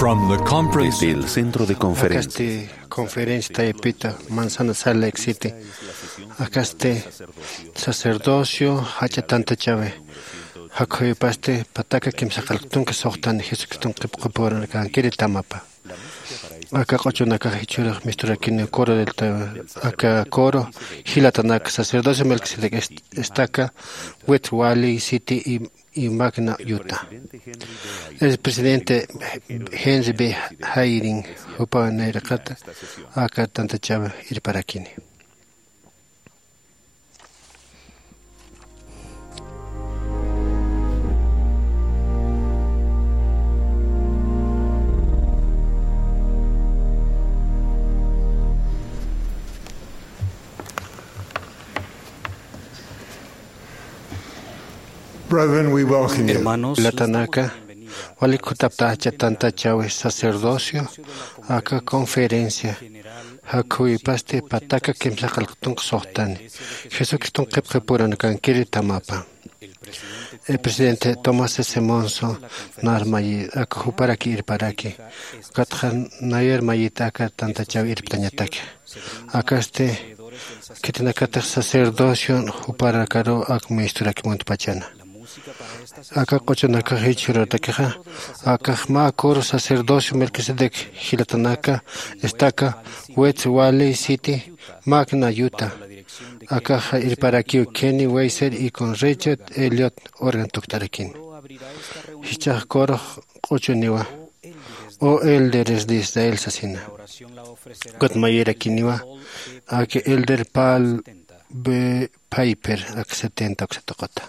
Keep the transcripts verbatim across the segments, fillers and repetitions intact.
From the conference. Desde el centro de conferencia. Akasti conferencia taypita Manzana Salt Lake City. Akasti sacerdocio jach'a tantachawi. Jakhuypasti pataka kimsa qillqtunka suxtani Jesucriston qillqapuranakankiri tamapa. Aka q'uchunakax jichhürux misturakini coro del ta-, aka coro jilatanaka sacerdocio Melquisedec est-, estaca, West Valley City y, y Magna, Utah. El presidente Henry B. Eyring jupa nayraqata aka tantachaw irparakini. Brethren, we welcome you. Hermanos, latanaka, walik jutapta jach'a tantachawi sacerdocio, aka conferencia, jakhuypasti pataka kimsa qillqtunka suxtani, Jesucriston qillqapuranakankiri tamapa. El presidente Thomas S. Monson narmayi, aka juparaki irparaki, ukatxa nayar mayita aka tantachaw irptañataki. Akasti, khitinakatix sacerdocio juparakaru ak ministuraki muntpachana. Aka q'uchunakax jichhüratakixa, akax mä coro sacerdocio Melquisedec jilatanaka, estaca, West Valley City, Magna, Utah. Akaxa irparakiw Kenny Weiser y con Richard Elliott organ tuktarakin. Jichhax coro q'uchuniwa, O Elderes de Israel sasina. Ukat mayirakiniwa, aka Elder Paul B. Piper, aka setenta uksa tuquta.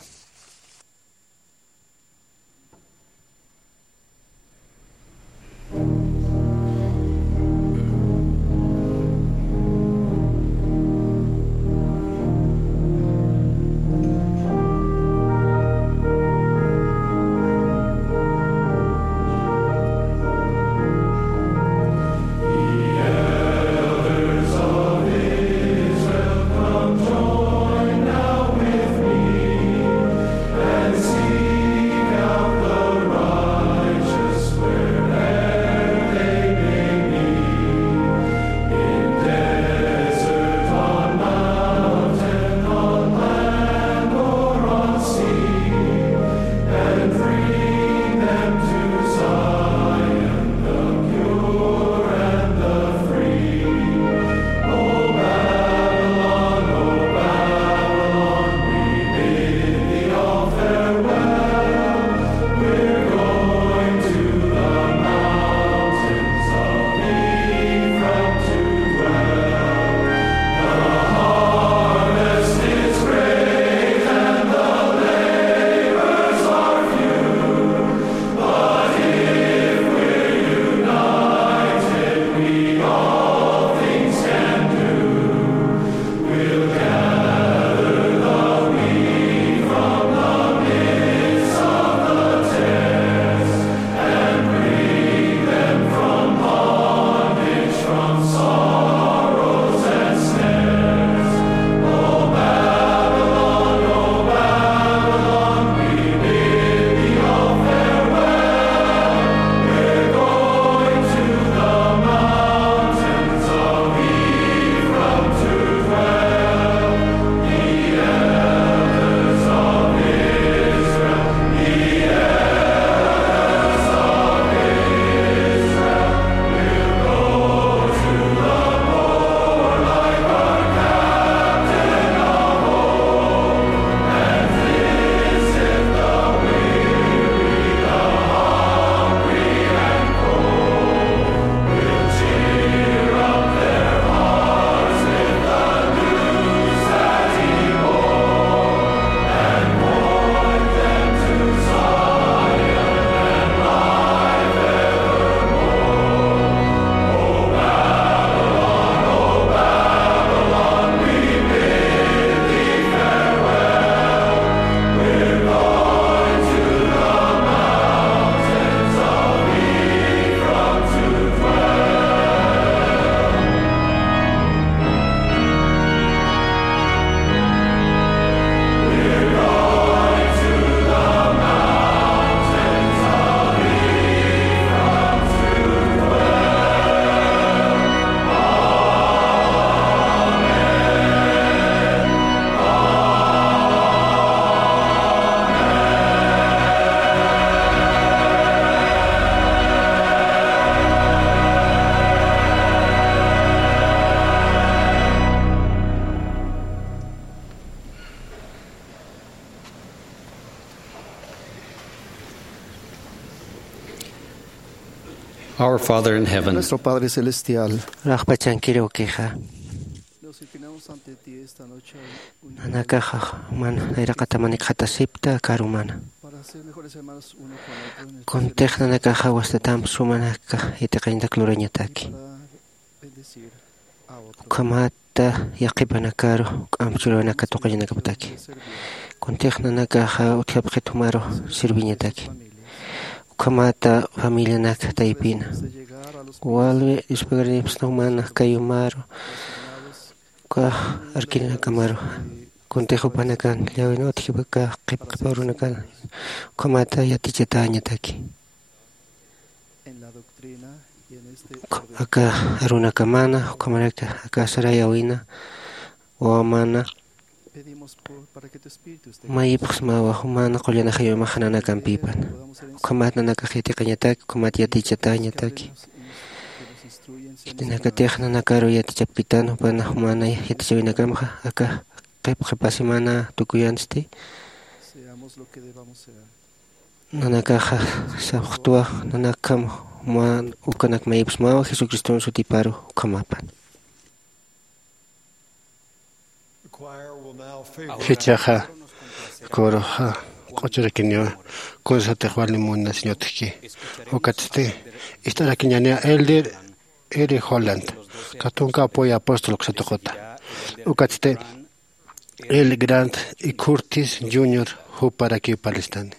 Our Father in heaven, Nuestro Padre Celestial, Raxpachankiriw kixa. Nos inclinamos ante ti esta noche. Nanakaxa man nayraqatamanikxatasipta karumana. Para ser mejores hermanos uno con otro en el Kuntix nanakaxa wastatamp sumanaka yatiqañatak lurañataki. Para bendecir a otros. Ukhamata yaqipanakaru k'amp churawanaka tuqañanakaptaki. Kuntix nanakaxa utjapxit jumaru sirviñataki. Ukhamata familianak taypina. Walwi dispagarinipsna jumana kayumaru uka arkirinakamaru. Kuntix jupanakan llawina utjipaka qhipqhipa urunakan ukhamata yatichatañataki. Aka arunakamana ukhamaraki aka sarayawina wawamana mayipxsmawa jumana qullana jayumax nanakampipana. Ukhamat nanakax yatiqañataki ukhamat yatichatañataki. Khitinakatix nanakaru yatichapkitan jupana jumana yatichawinakamxa aka qhipqhipasimana tukuyansti. Nanakaxa sapxtwa nanakjam juman ukanak mayipsmawa jesucriston sutiparu ukhamapan. Jichhaxa kuruxa q'uchurakiniwa kunsatix wali munasiñatki. Ukatsti ist'arakiñaniya elder eri holland katunka apoyo apóstol ksatuquta. Ukatsti el grant y curtis junior juparakiw palistani.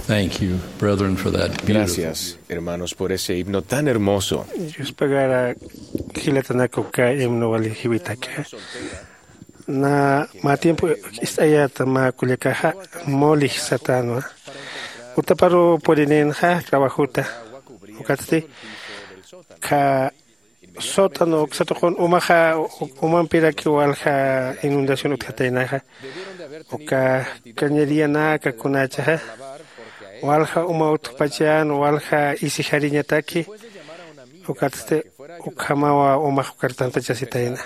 Thank you, brethren, for that beautiful. Gracias, hermanos, por ese himno tan hermoso. Yuspagara jilatanakuka himno wali jiwitaka. Na ma tiempo ist'ayata ma kullakaxa, molix satanwa. Utaparu purininxa trabajuta. Ukatsti ka sótano uksatuqun umaxa, umampiraki walja inundación utjataynaxa. Uka cañería naka kunachaxa walja uma utjpachan walja isijariñataki. Ukatsti ukhamawa umax ukartantachasitayna.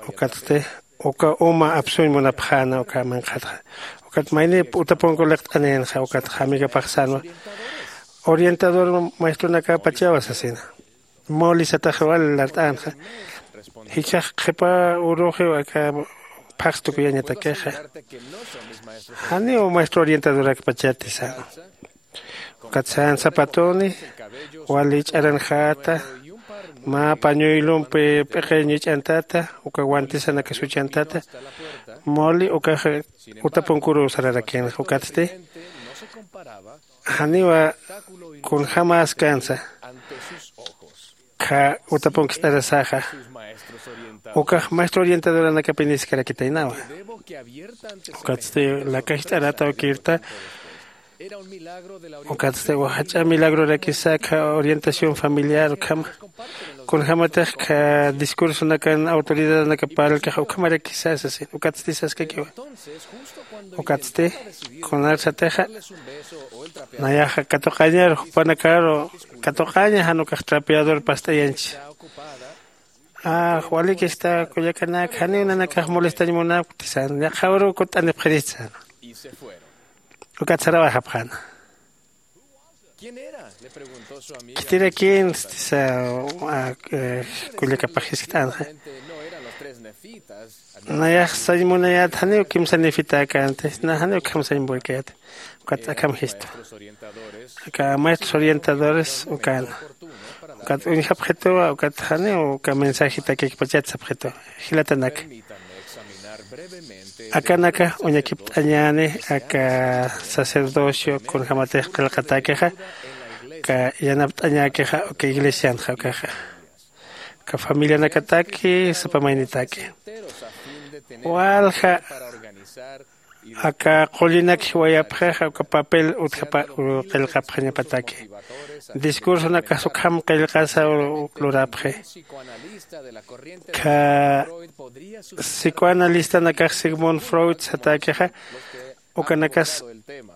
Ukatsti uka uma apsuñ munapxäna uka manqhatxa. Ukat mayni utapunku liqt'aninxa ukat jamigapaxsanwa. Orientador maestronakapachawa sasina. Molisatax wal lart'anxa. Jichhax qhipa uruxiw aka phaxstukuyañatakixa. Janiw maestro orientadorakpachati sano. Ukat san zapatoni wali ch'aranjata. Mä pañuylumpi p'iqiñ ich'antata uka guantisanaka suchantata. Moli ukaxa utapunkuruw sararakinxa ukatsti janiwa kunjämäskansa. Kha utapunkicht'arasaxa. Ukax maestro orientadoranakapiniskarakitaynawa. Ukatsti lakajt'arata ukirta. Ukatsti wajach'a milagrorakisa kha orientación familiar ukhama. Kunjämatix kha discursonakan autoridadanakaparlkaxa ukhamarakisa sasin ukatsti saskakiwa. Ukatsti kunarsatixa nayaxa katuqañar jupanakaru katuqaña jan ukax trapeador past'ayanchi. Waliki esta kullakanak janiw nanakax molestañ munapkti san yaqhawru kutt'anipxirista san. Ukat sarawayxapxäna. Khitirakin stisa kullakapax jiskt'anxa. Nayax sañ munayät janiw kimsa nifitäkänti na janiw ukham sañ muwaykäyäti. Ukat akham jistu. Aka maestros orientadores ukana. Ukat uñjapxituwa ukat janiw uka mensajitakikpachat sapxitu. Jilatanaka akanaka uñakipt'añäni aka sacerdocio kunjämatix qillqatäkixa. Uka yanapt'añäkixa uka iglesianxa ukaxa. Uka familianakataki sapa maynitaki walja aka qullinak jiwayapxixa uka papel utjapa qillqapxañapataki. Discursonakas ukham qillqasa lurapxi. Kha psicoanalistanakax sigmund freud satäkixa ukanakas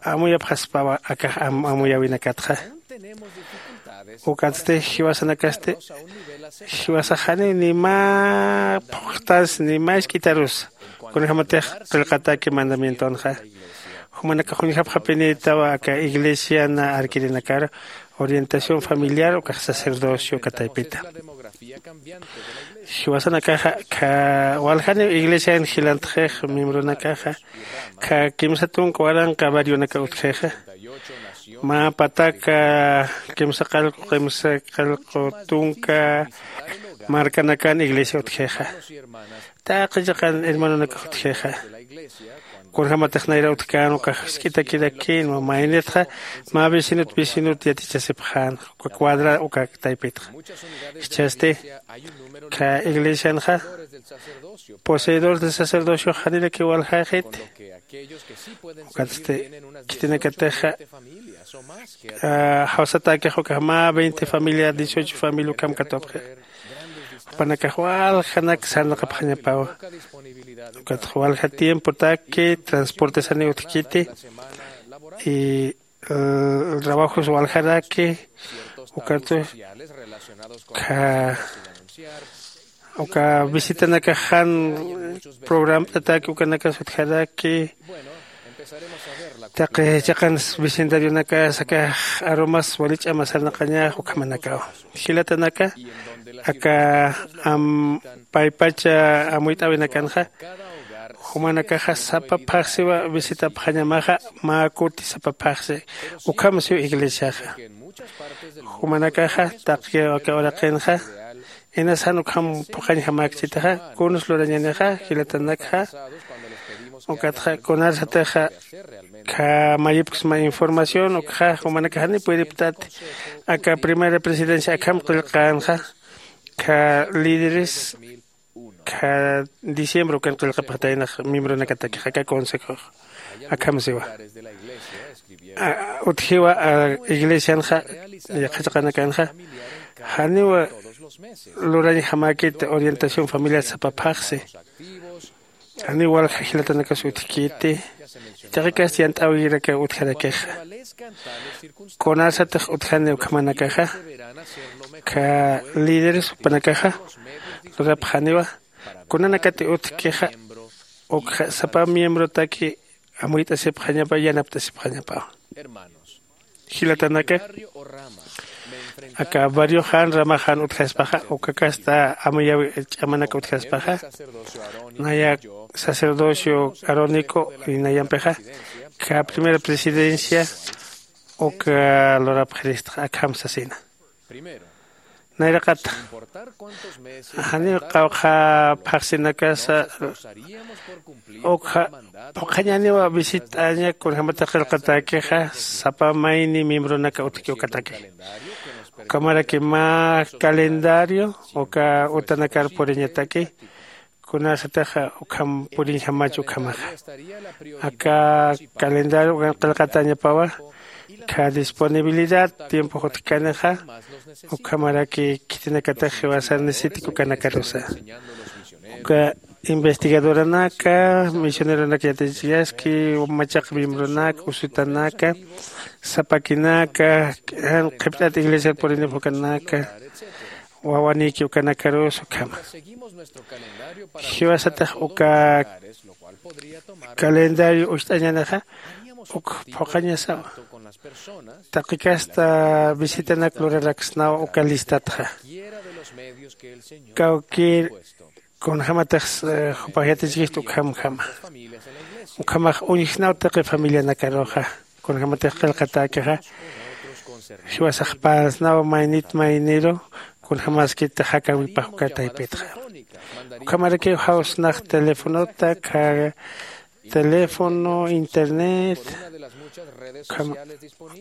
amuyapxaspawa akax amuyäwinakatxa. Ukatsti jiwasanakasti jiwasax janiw ni mä phuqtans ni mä isk'itarus kunjämatix qillqatäki mandamientonxa. Jumanakax uñjapxapinïtawa aka iglesiana arkirinakar orientación familiar ukax sacerdocio uka taypita. Jiwasanakaxa kha waljaniw iglesian jilantxix miembronakaxa kha kimsa tunka waranqa barrionaka utjixa. Mä pataka kimsa qallqu kimsa qallqu tunka markanakan iglesia utjixa. Taqi chiqan hermanonakax utjixa. Kunjämatix nayra utjkän ukax jisk'itakirakïnwa maynitxa mä vecinot vecinot yatichasipxän uka cuadra uka taypitxa. Jichhasti kha iglesianxa poseedores de sacerdociox janirakiw waljaxiti. Ukatsti khitinakatixa jawsatäkix ukax mä veinte familia dieciocho familia ukham katupxi. Jupanakax waljanak sarnaqapxañapawa. Ukatx walja tiempotaki transportesaniw utjkiti. Y trabajos waljaraki ukatux kha uka visitanakax jan programt'ataki ukanakas utjaraki. Taqi chiqan vecindarionakas akax arumas wali ch'ama sarnaqañax ukhamanakaw. Jilatanaka aka paypacha amuyt'äwinakanxa jumanakaxa sapa phaxsiwa visitapxañamaxa. Mä kuti sapa phaxsi ukham siw iglesiaxa. Jumanakaxa taqi aka uraqinxa inas jan ukham phuqhañjamäkchitaxa kuns lurañänixa jilatanakxa. Ukatxa kunarsatixa Kha mayipksma información ukxa jumanakaxani puriptati. Aka primera presidencia akham qillqanxa kha líderes kha diciembre ukan qillqapxataynax miembronakatakix aka consejox. Akham siwa utjiwa iglesianxa yaqhachaqanakanxa janiwa lurañjamäkit orientación familiar sapaphaxsi. Janiw walja jilatanakas utjkiti taqikasti yant'äwirakaw utjarakixa. Kunasatix utjani ukhamanakaxa kha líderes jupanakaxa lurapxaniwa kunanakati utjkixa ukxa sapa miembrotaki amuyt'asipxañapa yanapt'asipxañapaw. Jilatanaka aka barrioxan ramaxan utjaspaxa uka kasta amuyäwi ch'amanak utjaspaxa naya sacerdocio arónico inayampixa kha primera presidencia uka lurapxiristxa akham sasina. Nayraqata janiw qawqha phaxsinakasa ukxa phuqhañaniwa visit'aña kunjämatix qillqatäkixa sapa mayni miembronaka utjki ukataki. Ukhamaraki mä calendario uka utanakar puriñataki kunasatix ukham puriñjamach ukhamaxa. Aka calendario ukan qillqatäñapawa kha disponibilidad tiempo jutjkanixa ukhamaraki khitinakatix jiwasar necesitik ukanakarusa. Uka investigadoranaka misioneronak yatichiyaski machaq miembronaka usutanaka sapakinaka jan qhipt'at iglesiar purinipxukanaka wawaniki ukanakarus ukhama. Jiwasatix uka calendario ucht'añanixa uk phuqhañasawa. Taqi kasta visitanak luraraksnaw uka listatxa kawkir kunjämatix jupax yatichkista ukhamjama. Ukhamax uñjsnaw taqi familianakaruxa kunjämatix qillqatäkixa jiwasaxpasnaw maynit mayniru kunjämaskit jakäwipax uka taypitxa. Ukhamarakiw jawsnax telefonota kha teléfono internet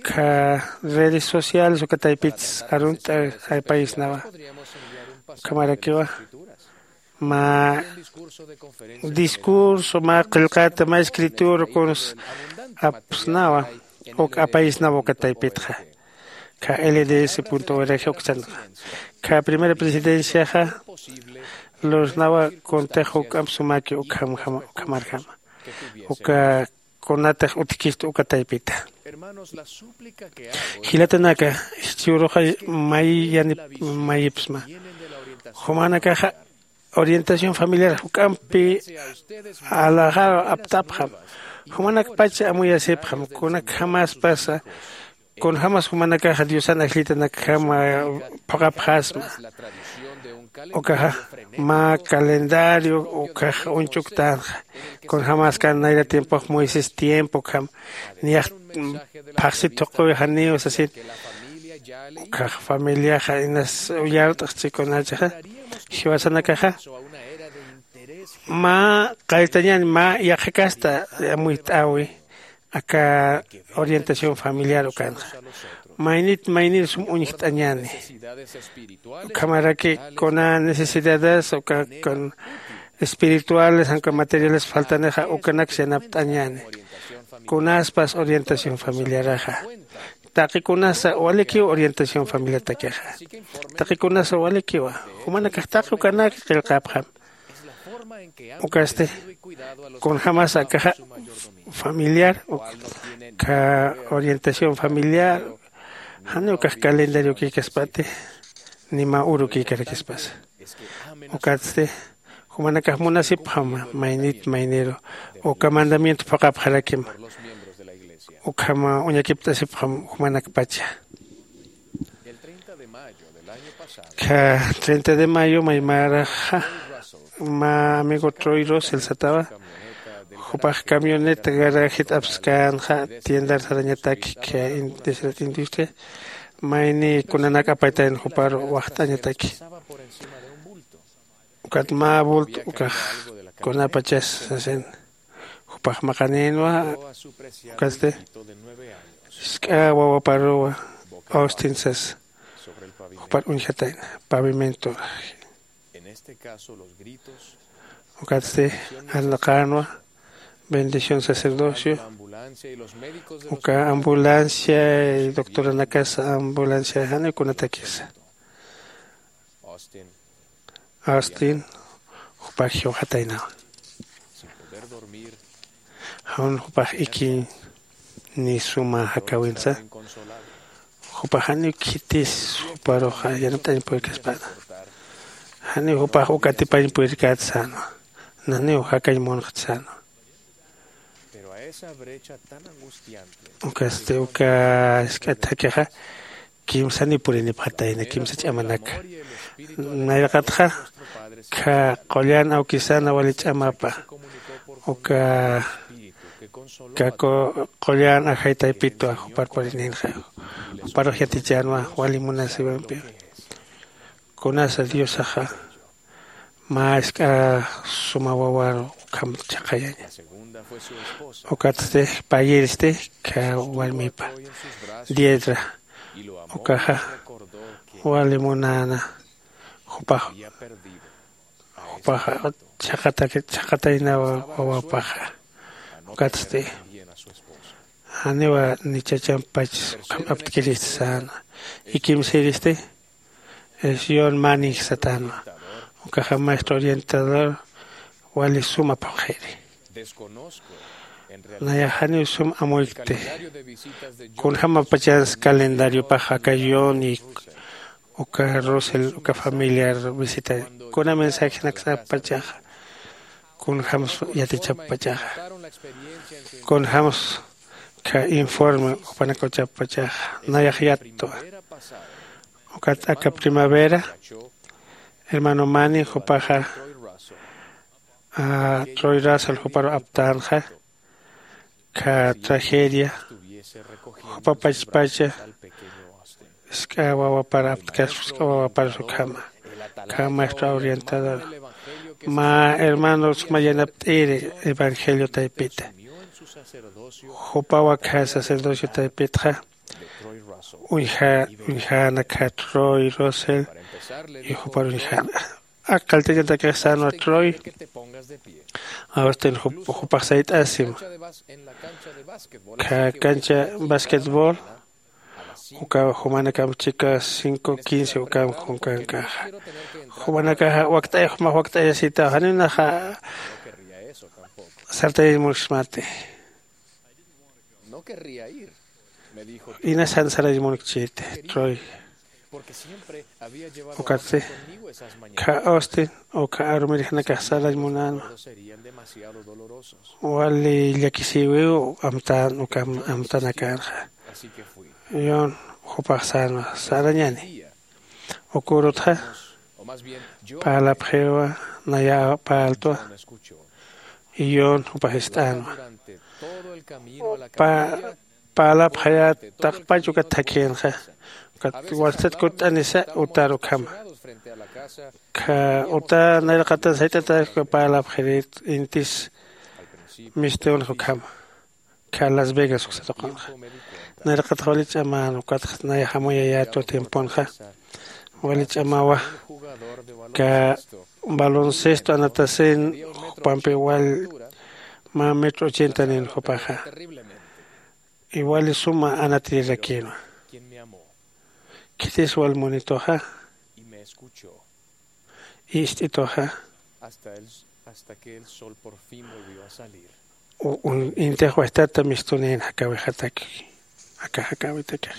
kha redes sociales uka taypits arunt'a apayisnawa. Ukhamarakiwa mä discurso mä qillqata mä escritura kuns apsnawa uk apayisnawa uka taypitxa. Kha lds org uksanxa kha primera presidenciaxa lursnawa kuntix juk'amp sumaki ukhamarjama uka kunatix utjkista uka taypita. Jilatanaka jichhüruxa may yanip mayipsma jumanakaxa orientación familiar juk'ampi alaxaru aptapxam. Jumanakpacha amuyasipxam kunakjamäspasa kunjämas jumanakaxa diosan ajllitanakjama phuqhapxasma. Ukaxa mä calendario ukkhax uñch'uktänxa kunjämäskan nayra tiempox moisés tiempo ukham niyax phaxsit thuqhuwi janiw sasin. Ukkhax familiaxa inas uyart'xchi kunachaxa jiwasanakaxa mä qalltañäni mä yaqha kasta amuyt'äwi aka orientación familiar ukanxa maynit maynir sum uñjt'añäni. Ukhamaraki kuna necesidades uka kun espirituales jan uka materiales faltanixa ukanaks yanapt'añäni. Kunaspas orientación familiaraxa taqi kunasa walikiw orientación familiatakixa taqi kunasa walikiwa jumanakax taqi ukanak qillqapxam. Ukasti kunjämasa akaxa familiar uka orientación familiar janiw ukax calendariokïkaspati ni mä urukïkarakispasa. Ukatsti jumanakax munasipxam maynit mayniru uka mandamiento phuqhapxarakima ukham uñakipt'asipxam jumanakpacha. Kha treinta de mayo maymaraxa mä amigo troy rosel satawa jupax camioneta garajit apskänxa tiendar sarañataki kha industria mayni kunanak apaytayan juparu waxt'añataki. Ukat mä bulto ukax kunapachas sasin Jupax maqanïnwa. Ukatsti jisk'a wawaparuwa austin sas jupar uñjatayna pavimento. Ukatsti arnaqänwa bendición sacerdocio. Uka ambulancia y doctoranakas ambulancia janiw kunatakisa. Austin jupax jiwxataynawa. Jawn jupax ikiñ ni suma jakawinsa. Jupax janiw khitis juparuxa yanapt'añ purkaspäna. Janiw jupax uka atipañ purkät sänwa. Naniw jakañ munxt sänwa. Ukasti uka jisk'a thakixa kimsaniw purinipxatayna kimsa ch'amanaka. Nayraqatxa kha qullan awkisana wali ch'amapa uka kha qullan ajay taypitwa jupar purininxa. Juparux yatichänwa wali munasiwampiw. Kunasa diosaxa mä jisk'a suma wawar ukham chhaqhayaña. Ukatsti payïristi kha warmipa diedra ukaxa wali munäna. Jupax jupaxa chhaqataynawa wawapaxa. Ukatsti janiwa ni chachampachs ukham aptkirist säna. Ikimsïristi es yon manix satänwa. Ukaxa maestro orientador wali suma phuqhiri. Nayax janiw sum amuykti. Kunjämapachans calendariopax aka yon y uka rusel uka familiar visita kuna mensajenaksapachaxa kunjäms yatichapachaxa kunjäms kha informe jupanakawchapachaxa. Nayax yattwa. Ukat aka primavera hermano mani jupaxa troy rasal juparu aptänxa. Kha tragedia jupa pachpacha jisk'a wawapar aptkaspa jisk'a wawapar sukhama. Kha maestro orientador mä hermano suma yanapt'iri evangelio taypita. Jupawa kha sacerdocio taypitxa uñjäna kha troy rosel y jupar uñjäna. Aka qalltañatakix sänwa troy austin jupax sayt'asim kha cancha basquetbol. Uka jumanakamp chika cinco quince ukamp junkankaxa jumanakaxa wakt'aya jumax wakt'ayasitaw janiw naxa sartayañ mursmati. Inas jan sarañ munkchiti troy. Ukatsti kha austin uka arumirixnakax sarañ munänwa. Wali llakisïwiw amtän uka amtanakänxa. Yon jupax sänwa sarañani. Ukürutxa parlapxiwa naya parltwa. Yon jupax ist'änwa. Parlapxayät taqpach ukat thakhïnxa. Ukat watsat kutt'anisa utar ukhama kha uta nayraqatan sayt'atäk uka parlapxirit intis mistïnxa ukhama. Kha las vegas uksatuqanxa. Nayraqatxa wali ch'amän ukatxa nayax amuyayätwa tiemponxa wali ch'amawa. Kha baloncesto anatasin jupampi wal mä metro ochenta nin jupaxa. Iwali suma anatirirakïnwa. Khitis wal munituxa ist'ituxa. Intix wajtata mistunïn jakawixataki. Aka jakawitakix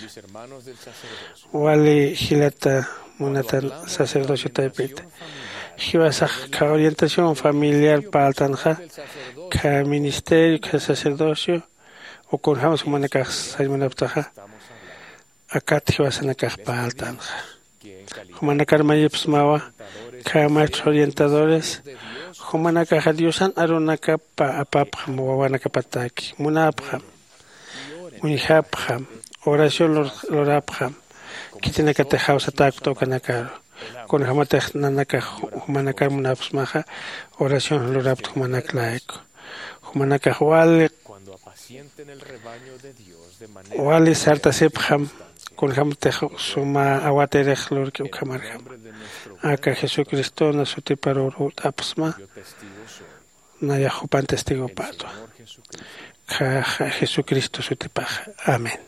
wali jilata munatan sacerdocio taypita. Jiwasax kha orientación familiar parltanxa kha ministerio kha sacerdocio ukunjämsa jumanakax sañ munaptaxa. Akat jiwasanakax parltanxa. Jumanakar mayipsmawa kha maestros orientadores jumanakaxa diosan arunakapa apapxam wawanakapataki munapxam uñjapxam oración lurapxam. Khitinakatix jawsatäkta ukanakaru kunjämatix nanakax jumanakar munapsmaxa oración lurapta jumanak layku. Jumanakax wali wali sartasipxam. Kunjämtix suma awatirix lurki ukhamarjam. Aka jesucristona sutiparur jut'apxsma. Nayax jupan testigopätwa. Jesucristo sutipaxa. Amén.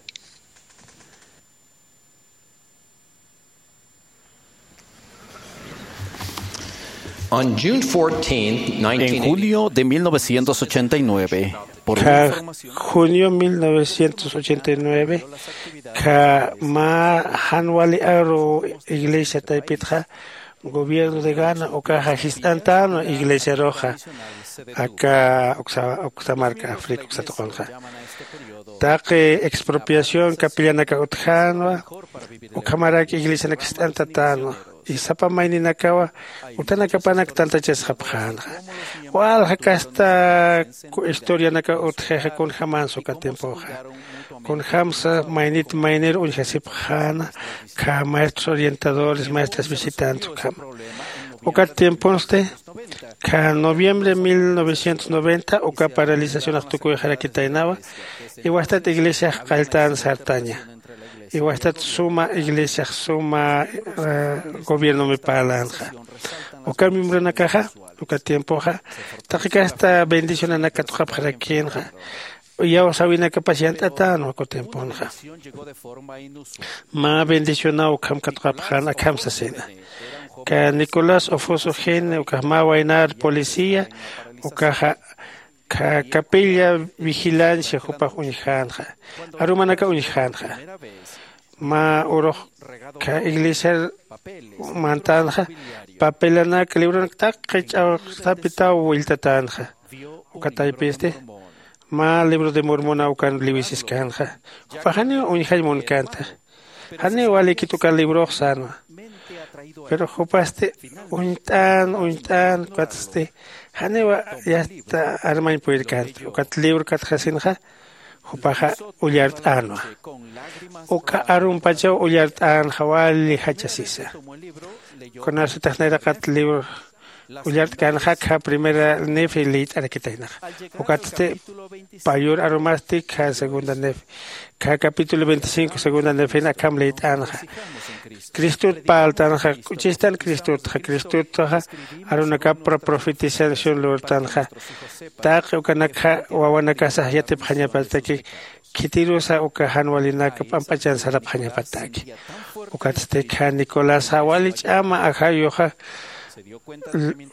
En junio de mil novecientos ochenta y nueve, por Kha junio mil novecientos ochenta y nueve, kha mä jan wali aru iglesia taypitxa gobierno de Ghana ukaxa jist'antänwa iglesiaruxa aka uksa marka África uksa tuqunxa. Taqi expropiación capillanaka utjänwa. Ukhamarak iglesianak jist'antatänwa. Y sapa mayninakawa utanakapanak tantachasxapxänxa. Walja kasta historianaka utjixa kunjämänsa uka tiempoxa. Kunjämsa maynit maynir uñjasipxäna kha maestros orientadores maestras visitantes ukhama. Ukat tiemponsti kha noviembre mil novecientos noventa uka paralizacionax tukuyxarakitaynawa. Iwastat iglesiax qalltän sartaña. Iwastat suma iglesiax suma gobiernomi parlänxa. Uka miembronakaxa uka tiempoxa taqi kasta bendicionanak katuqapxarakïnxa. Iyawsäwinakapas yant'atänwa uka tiemponxa. Mä bendicionaw ukham katuqapxän akham sasina. Kha nicolás ofoso gene ukax mä waynar policía ukaxa kha capilla vigilancia jupax uñjänxa. Arumanaka uñjänxa. Mä urux kha iglesiar mantänxa. Papelanak libronak taqi ch'awxtapitaw willtatänxa. Uka taypisti mä libro de mormona ukan liwisiskänxa. Jupax janiw uñjañ munkänta. Janiw walikit uka librox sänwa. Pero jupasti uñt'än uñt'än ukatsti janiw yasta armañ purirkänta. Ukat libro katxasinxa jupaxa ullart'änwa. Uka arumpachaw ullart'änxa wali jachasisa. Kunasatix nayraqat libro ullart'känxa kha primera nefe liyt'arakitaynaxa. Ukatsti payur arumasti kha segunda nefe kha capítulo veinticinco segunda nefena akham liyt'änxa. Cristot parltänxa. K'uchistan cristotxa cristotxa arunakap profetización lurtänxa. Taqi ukanakxa wawanakasax yatipxañapataki. Khitirusa uka jan walinak p'amp'achan sarapxañapataki. Ukatsti kha nicolasa wali ch'ama ajayuxa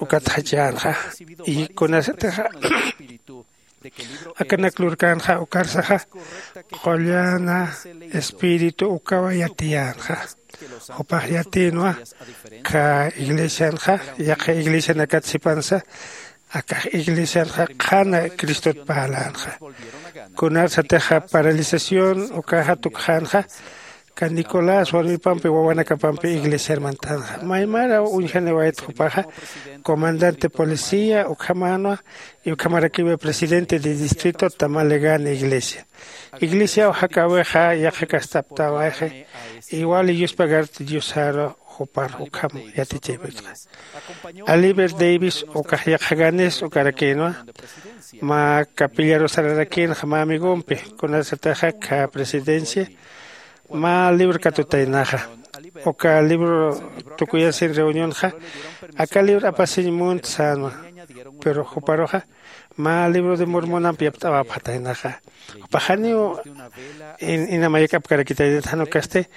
ukat jachänxa. Y kunasatixa akanak lurkänxa ukarsaxa qullana espíritu ukawa yatiyänxa. Jupax yatïnwa kha iglesianxa yaqha iglesianakat sipansa. Akax iglesianxa qhana cristot parlänxa. Kunarsatixa paralización ukaxa tukxänxa. Kha nicolás warmipampi wawanakapampi iglesiar mantänxa maymaraw uñjaniwayt jupaxa comandante policía ukhamänwa. Y ukhamarakiwa presidente de distrito tamalegana iglesia. Iglesiaw jakäwixa yaqha kastaptäwayxi. Igual yuspagarti diosaru jupar ukham yatichaypitxa. Aliver davis ukax yaqha ganes ukarakïnwa. Mä capillarusararakïnxa mä amigompi kunasatixa kha presidencia mä libro katutaynaxa. Uka libro tukuyasin reunionxa aka libro apasiñ munt sänwa. Pero juparuxa mä libro de mormonamp yapt'awapxataynaxa. Jupax janiw ina mayak'apkarakitaynaxa jan ukasti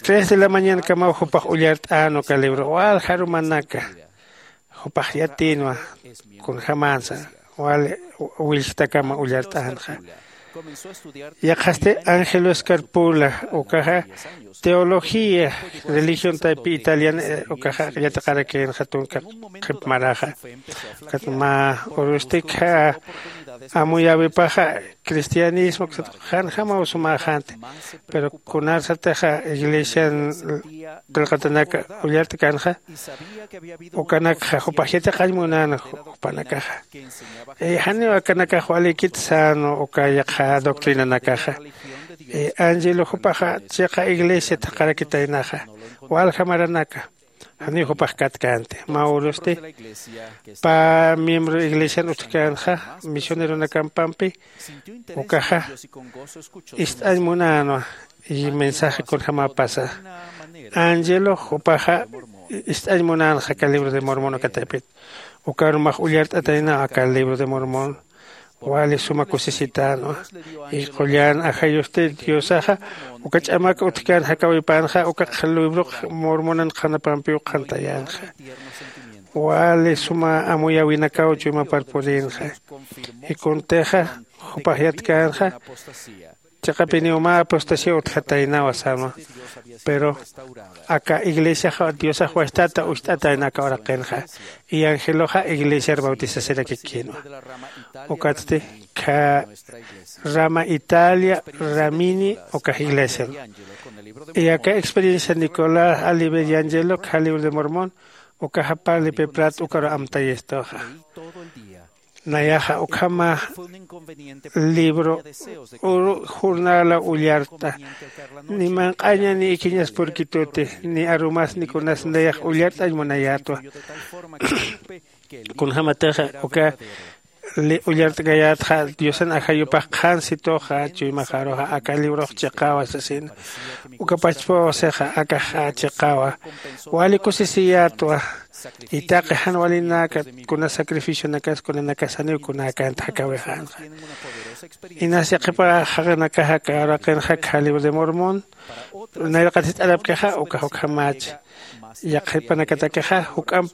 tres de la mañanakamaw jupax ullart'än uka libro walja arumanaka. Jupax yatïnwa kunjämänsa wali willktakama ullart'änxa. Yaqhasti ángel oscar pula ukaxa teología religión taypi italiana ukaxa yatiqarakïnxa tunka qhip maraxa. Ukat mä urusti kha amuyäwipaxa cristianismo uksa tuqi janjamaw sumäxänti. Pero kunarsatixa iglesian qillqatanak ullart'känxa ukanakxa jupax yatiqañ munän jupanakaxa. Janiw akanakax walikit sän uka yaqha doctrinanakaxa. Angelo jupaxa chiqa iglesia thaqharakitaynaxa walja maranaka. Janiw jupax katkänti mä urusti. Pä miembro iglesian utjkänxa misioneronakampampi ukaxa ist'añ munänwa. Y mensaje kunjämapasa angelo jupaxa ist'añ munänxa aka libro de mormon ukatapit. Ukarumax ullart'ataynaw aka libro de mormon. Wali suma kusisitänwa. Y qullan ajayusti diosaxa uka ch'amak utjkän jakawipänxa uka librox mormonan qhanapampiw qhantayänxa. Wali suma amuyäwinakaw chuymapar purinxa. Y kuntixa jupax yatkänxa chiqapiniw mä apostasía utjataynawa sänwa. Pero aka iglesiaxa diosax wastata ucht'atayna aka uraqinxa. Y angeloxa iglesiar bautizasirakikïnwa. Ukatsti kha rama italia ramini ukax iglesian. Y aka experiencia nicolás oliver y angelo kha libro de mormon ukaxa parli piprat ukaru amtayistuxa. Nayaxa ukhama libro uru jornala ullart'a. Ni manq'aña ni ikiñas purkituti ni arumas ni kunas nayax ullart'añ munayätwa. Kunjämatixa uka ullart'kayätxa diosan ajayupax qhan situxa chuymaxaruxa aka librox chiqawa sasina. Uka pachpaw sixa akaxa chiqawa. Wali kusisiyätwa. Y taqi jan walinaka kuna sacrificionakas kunanakas janiw kunäkänti jakawixänxa. Inas yaqhipa jaqinakaxa aka uraqinxa kha libro de mormon nayraqat jist'arapkixa ukax ukhamächi. Yaqhipanakatakixa juk'amp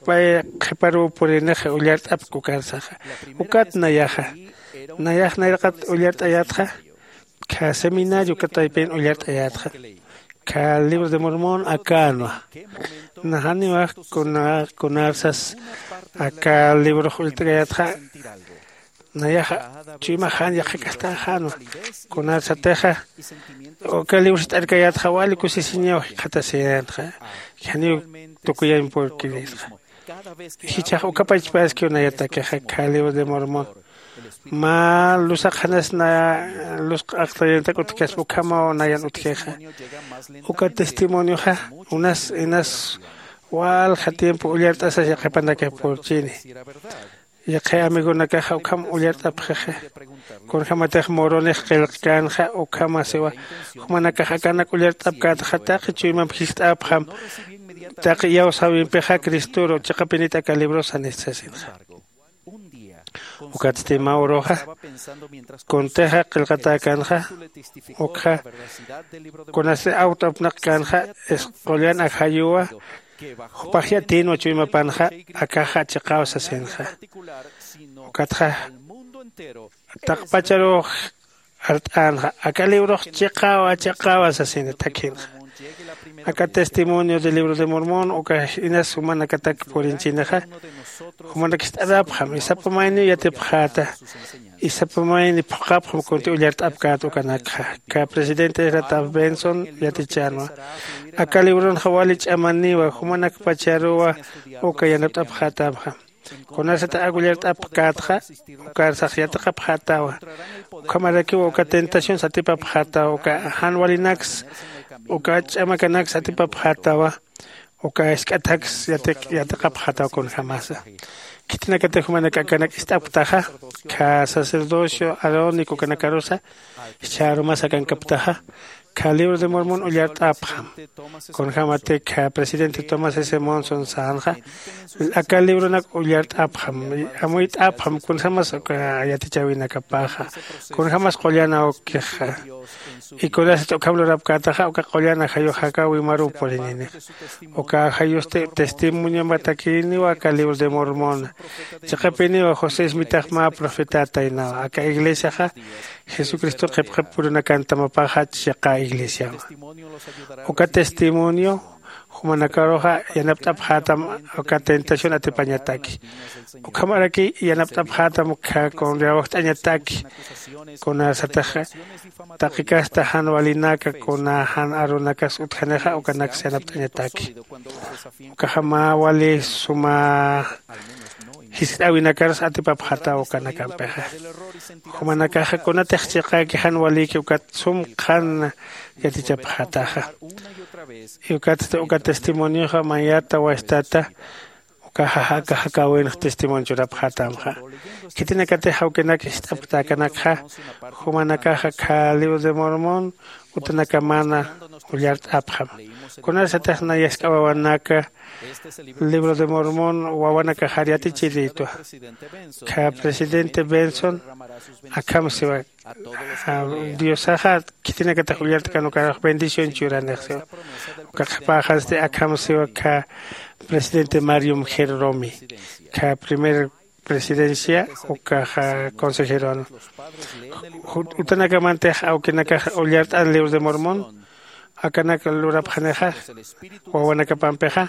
qhiparuw purinix ullart'apk ukarsaxa. Ukat nayaxa nayax nayraqat ullart'ayätxa. Kha seminario ukataypin ullart'ayätxa. Kha libro de mormon akänwa. Najaniwa kunarsas aka librox ullt'kayätxa. Nayaxa chuymax jan yaqhakastaxänwa. Kunarsatixa uka libro jist'arkayätxa wali kusisiñaw jikxatasiyänxa. Janiw tukuyañ purkirisxa. Jichhax uka pachpaskiw nayatakixa kha libro de mormon mä lusaqxanas na lus q'aqtayantak utjkaspa ukhamaw nayan utjixa. Uka testimonioxa unas inas walja tiempo ullart'asas yaqhipanakix purchini. Yaqhi amigonakaxa ukham ullart'apxixa. Kunjämatix moronix qillqkänxa ukhamasiwa jumanakax akanak ullart'apkätxa taqi chuymamp jist'apxam. Taqi iyawsäwimpixa cristoru chiqapinit aka librosanit sasinxa. Ukatsti mä uruxa kuntixa qillqatäkänxa. Ukxa kunasti awt'apnaqkänxa isq'ullan ajayuwa jupax yatïnwa chuymapanxa. Akaxa chiqaw sasinxa. Ukatxa taqpacharux art'änxa aka librox chiqawa chiqawa sasina thakhinxa. Aka testimonio del libro de mormon uka inas jumanakatak purinchinixa. Jumanak jist'arapxam isapa mayniw yatipxäta. Isapa mayni phuqhapxam kunti ullart'apkät ukanakxa. Kha presidente rataw benson yatichänwa. Aka libronxa wali ch'amaniwa jumanakpacharuwa uka yanapt'apxätäpxam. Kunasat ak ullart'apkätxa ukarsax yatiqapxätawa. Ukhamarakiw uka tentación satipapxätawa uka jan walinaks uka ch'amakanaks atipapxätawa. Uka isk'ataks yatiqapxätawa kunjämasa. Khitinakatix jumanak akanak ist'apktaxa kha sacerdocio arónico ukanakarusa jichha arumas akankapktaxa. Kha libro de mormon ullart'apxam. Kunjämatik kha presidente tomás s monson sänxa aka libronak ullart'apxam. Amuyt'apxam kunjämas uka yatichäwinakapaxa kunjämas qullan awkixa. Y kunasat ukham lurapkätaxa uka qullan ajayux jakawimaruw purininixa. Uka ajayusti testimoniomatakiniwa aka libro de mormona. Chiqapiniwa josé ismitax mä profetätaynawa aka iglesiaxa jesucristo qhipqhip purunakantamapaxa chiqa iglesiawa. Uka testimonio jumanakaruxa yanapt'apxätam uka tentación atipañataki. Ukhamaraki yanapt'apxätam ukkha kunriawajt'añataki. Kunasatix taqi kasta jan walinaka kuna jan arunakas utjanixa ukanaks yanapt'añataki. Ukaxa mä wali suma ist'äwinakarus atipapxätaw ukanakampixa. Jumanakaxa kunatix chiqäki jan walïki ukat sum qhan yatichapxätaxa. Y ukat uka testimonioxa mayata wastata ukaxa aka jakäwinx testimonio churapxätamxa. Khitinakatix jawkinak ist'apktäkanakxa jumanakaxa khä libro de Mormon utanakamana ullart'apxam. Kunasatix nayask'a wawanaka libro de Mormon wawanakaxar yatichirïtwa. Khä presidente Benson akham siwa, diosaxa khitinakatix ullart'kan ukarux bendición churanix siwa. Uka qhipäxansti akham siwa khä presidente Marium Gerromi, khä primer presidencia ukaxa consejeron. Utanakamantix awkinakax ullart'an libro de Mormon akanak lurapxanixa wawanakapampixa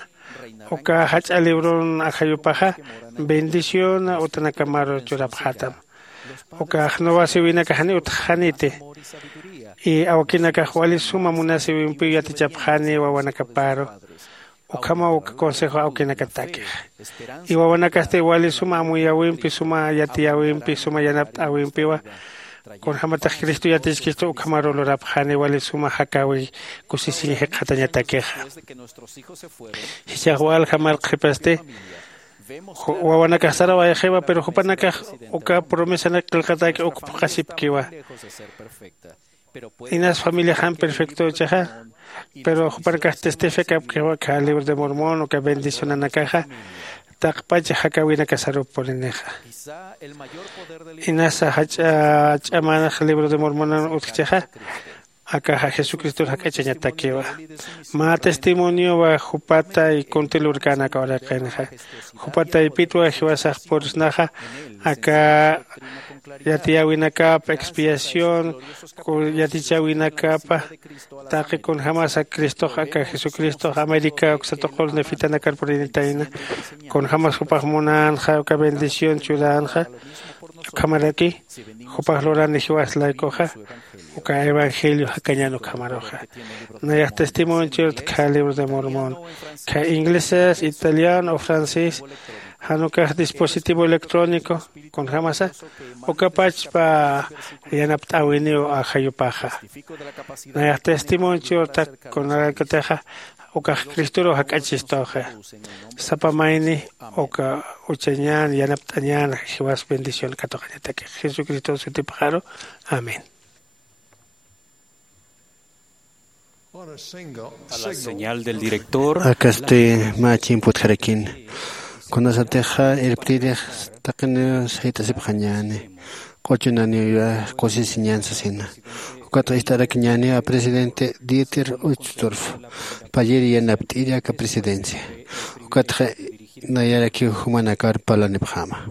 uka jach'a libron ajayupaxa bendición utanakamaru churapxätam. Ukax nuwasiwinakax janiw utjxaniti. Y awkinakax wali suma munasiwimpiw yatichapxani wawanakaparu. Ukhamaw uka consejo awkinakatakixa. Y wawanakasti wali suma amuyäwimpi suma yatiyäwimpi suma yanapt'äwimpiwa kunjämatix cristo yatichkistu ukhamaru lurapxani wali suma jakäwi kusisiñ jikxatañatakixa. Jichhax walja mark qhipasti wawanakax sarawayxiwa pero jupanakax uka promesanak qillqatäki uk phuqhasipkiwa. Inas familiaxan perfectüchixa pero jupanakax testificapkiwa khä libro de Mormon uka bendicionanakaxa taqpach jakäwinakasarup puninixa. Inasa jach'a ch'amanax libro de Mormonan utjchixa akaxa jesucristor jak'achañatakiwa. Mä testimoniowa jupatay kunti lurkänak uraqinxa. Jupataypitwa jiwasax pursnaxa aka yatiyäwinakapa expiación yatichäwinakapa taqi kunjämasa cristox aka jesucristox américa uksa tuqur nefitanakar purinitayna. Kunjämas jupax munänxa uka bendición churänxa ukhamaraki jupax lurani jiwas laykuxa uka evangelio jakañän ukhamaruxa. Nayax testimonio churta khä libro de Mormon khä inglesas italiano o francés jan ukax dispositivo electrónico kunjämasa ukapachpa yanapt'äwiniw ajayupaxa. Nayax testimonio churta kunakatixa ukax cristoruw jak'achistuxa. Sapa mayni uka uchañän yanapt'añän jiwas bendición katuqañatakix jesucristo sutipxaru. Amén. A la señal del director. Akasti mä chimputxarakin kunasatixa irptirix taqiniw sayt'asipxañäni q'uchunaniw kusisiñän sasina. Ukatxa ist'arakiñäniwa presidente dieter uchtdorf payir yanapt'iri aka presidencia. Ukatxa nayarakiw jumanakar parlanipxäma.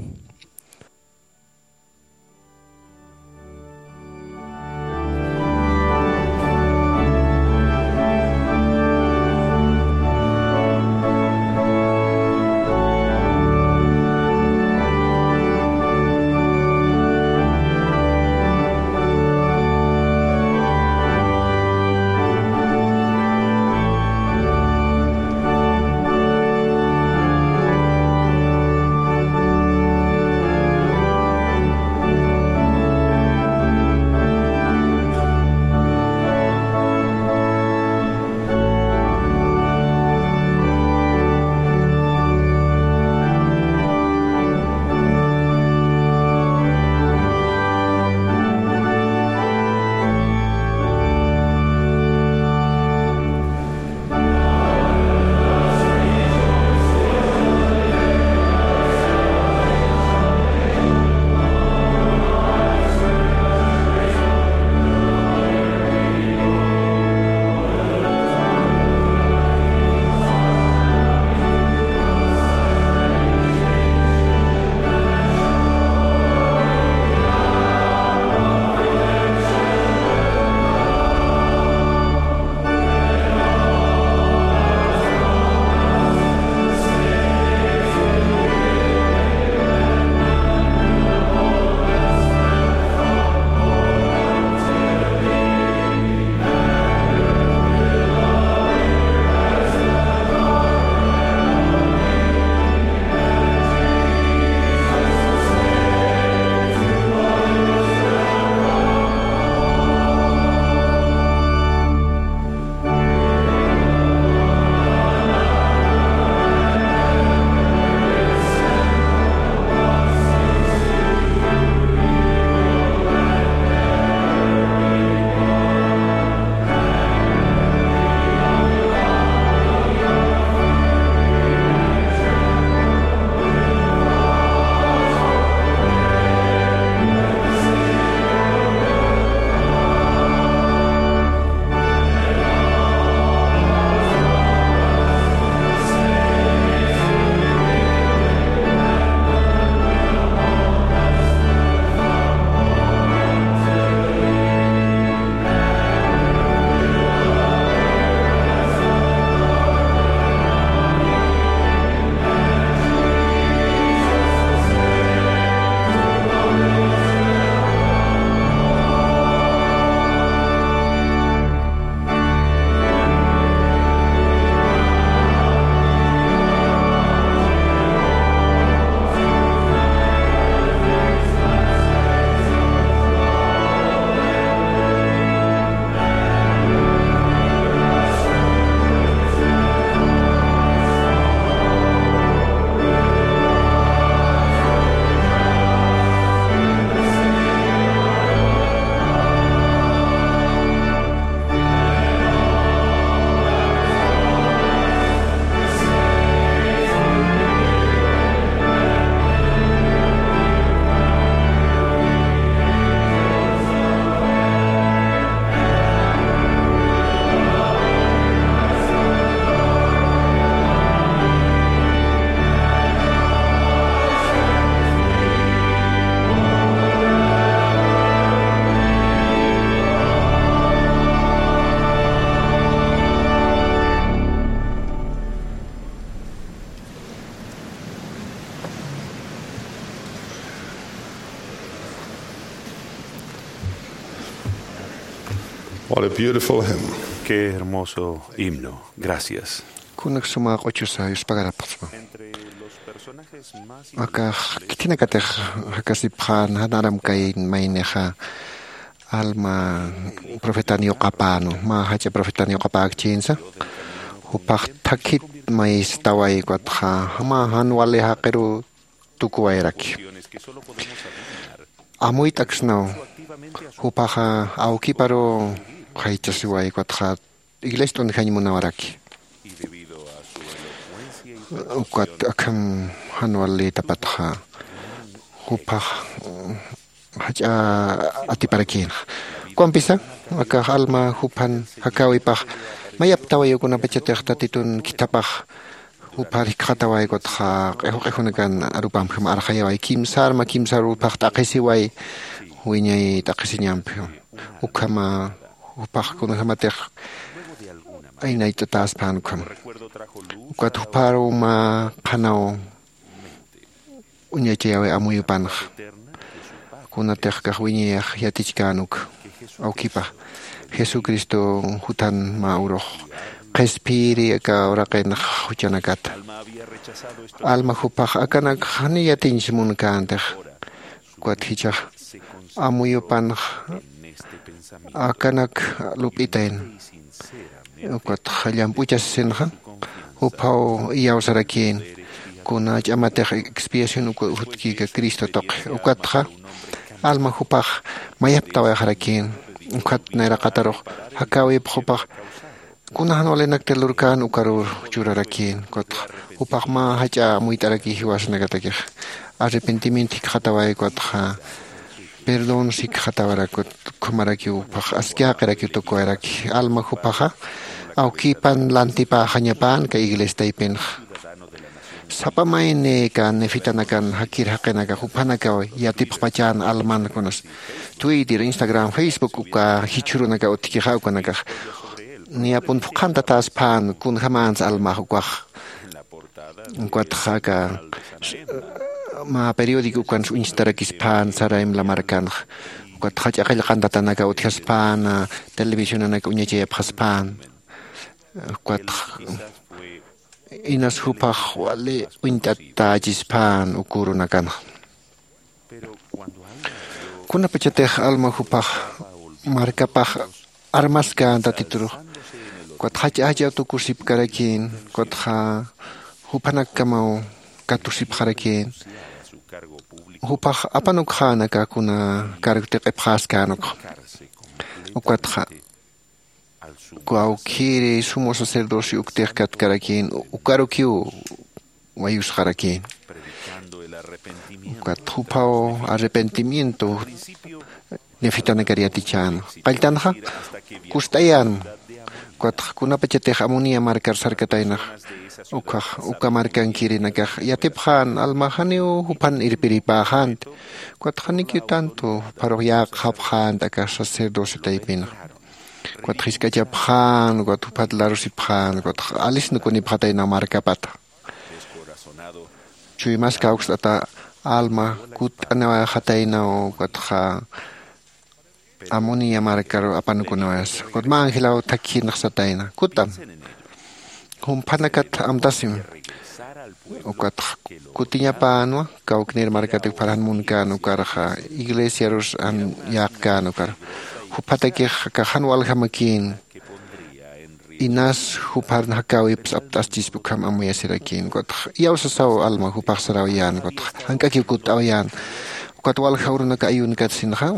What a beautiful hymn. Qué hermoso himno. Gracias. Kunak suma q'uchusa yuspagarapxsma. Akax khitinakatix jakasipxän janaram kay maynixa alma profetan yuqapänu mä jach'a profetan yuqapäkchinsa jupax thakhit mayistaway ukatxa mä jan wali jaqiru tukuwayraki. Amuyt'aksnaw jupaxa awkiparu jaychasiway ukatxa iglesia t'unjañ munawaraki. Ukat akham jan walïtapatxa jupax jach'a atiparakïnxa. Ukampisa akax alma juphan jakäwipax mayaptawayukunapachatix tatitun khithapax juphar jikxataway ukatxa q'ijuq'ijunakan arupamjam arxayaway kimsarma kimsar jupax t'aqhisiway wiñay t'aqhisiñampjam. Ukhama jupax kunajamatix aynayt'atäspän ukhama ukat jupharuw mä qhanaw uñachayaway amuyupanxa kunatix kax wiñayax yatichkän uk awkipax jesucristo juthan mä urux qhispiri aka uraqinx juchanakata alma jupax akanak jani yatiñsi munkäntix ukat jichhax amuyupanx akanak lup'itayna ukatxa llamp'uchasisinxa juphaw iyawsarakïn kuna ch'amatix expiación uka jutkïka cristo tuqi ukatxa alma jupax mayaptawayxarakïn. Ukat nayraqatarux jakäwipx jupax kuna jan walinaktir lurkän ukaruw churarakïn ukatxa jupax mä jach'a amuyt'araki jiwasanakatakix arrepentimiento jikxataway ukatxa perdón sikxatawarakut ukhamarakiw ukhax aski jaqirakiw tukuwayraki alma juphaxa awkipan lantipäxañapänka iglesia taypinxa sapa mayni aka nefitanakan jakir jaqinaka juphanakaw yatipxpachän alman kunas twitter instagram facebook uka jichhürunaka utjkixa ukanakax niyapun phuqhantatäsphän kunjamänsa almax ukax ukatxa aka mä periódico ukansa uñstarakisphän saraymla markanxa ukatxa jach'a qillqantatanaka utjasphäna televisionanaka uñachayapxasphän ukatxa inas juphax wali uñt'atächisphän ukürunakanxa. Kunapachatix alma juphax markapax armaskän tatiturux ukatxa jach'a jach'a tukusipkarakïn ukatxa juphanakamaw katusipxarakïn juphax apanukxän aka kuna cargo tiq'ipxäskän ukxa ukatxa uka awkhiri sumo sacerdocio uktix katkarakïn ukarukiw wayusxarakïn ukat juphaw arrepentimiento nefitanakar yatichäna qalltanxa kust'ayänma ukatxa kunapachatix amonia markar sarkataynax ukhax uka markankirinakax yatipxän almax janiw juphan irpiripäxänti ukatxa janikiw tanto jupharux yäqxapxänti aka sacerdocio taypinxa ukatxa jisk'achapxän ukatxa juphat larusipxän ukatxa alisna kunipxataynaw markapata chuymas kawkst'ata alma kutt'aniwayxataynaw ukatxa amonia markaru apanukunawayasa ukat mä angelaw thakhinaxsatayna kutam jumphanakat amtasim ukatxa kutiñapänwa kawknir markatik pharjan munkän ukarxa iglesiarus jan yäqkän ukar juphatakix aka jan waljamakïn inas juphar jakäwips apt'aschispi ukham amuyasirakïn ukatxa iyawsasaw alma jupax sarawayän ukatxa jank'akiw kutt'awayän ukat walja urunaka ayunakatsinxa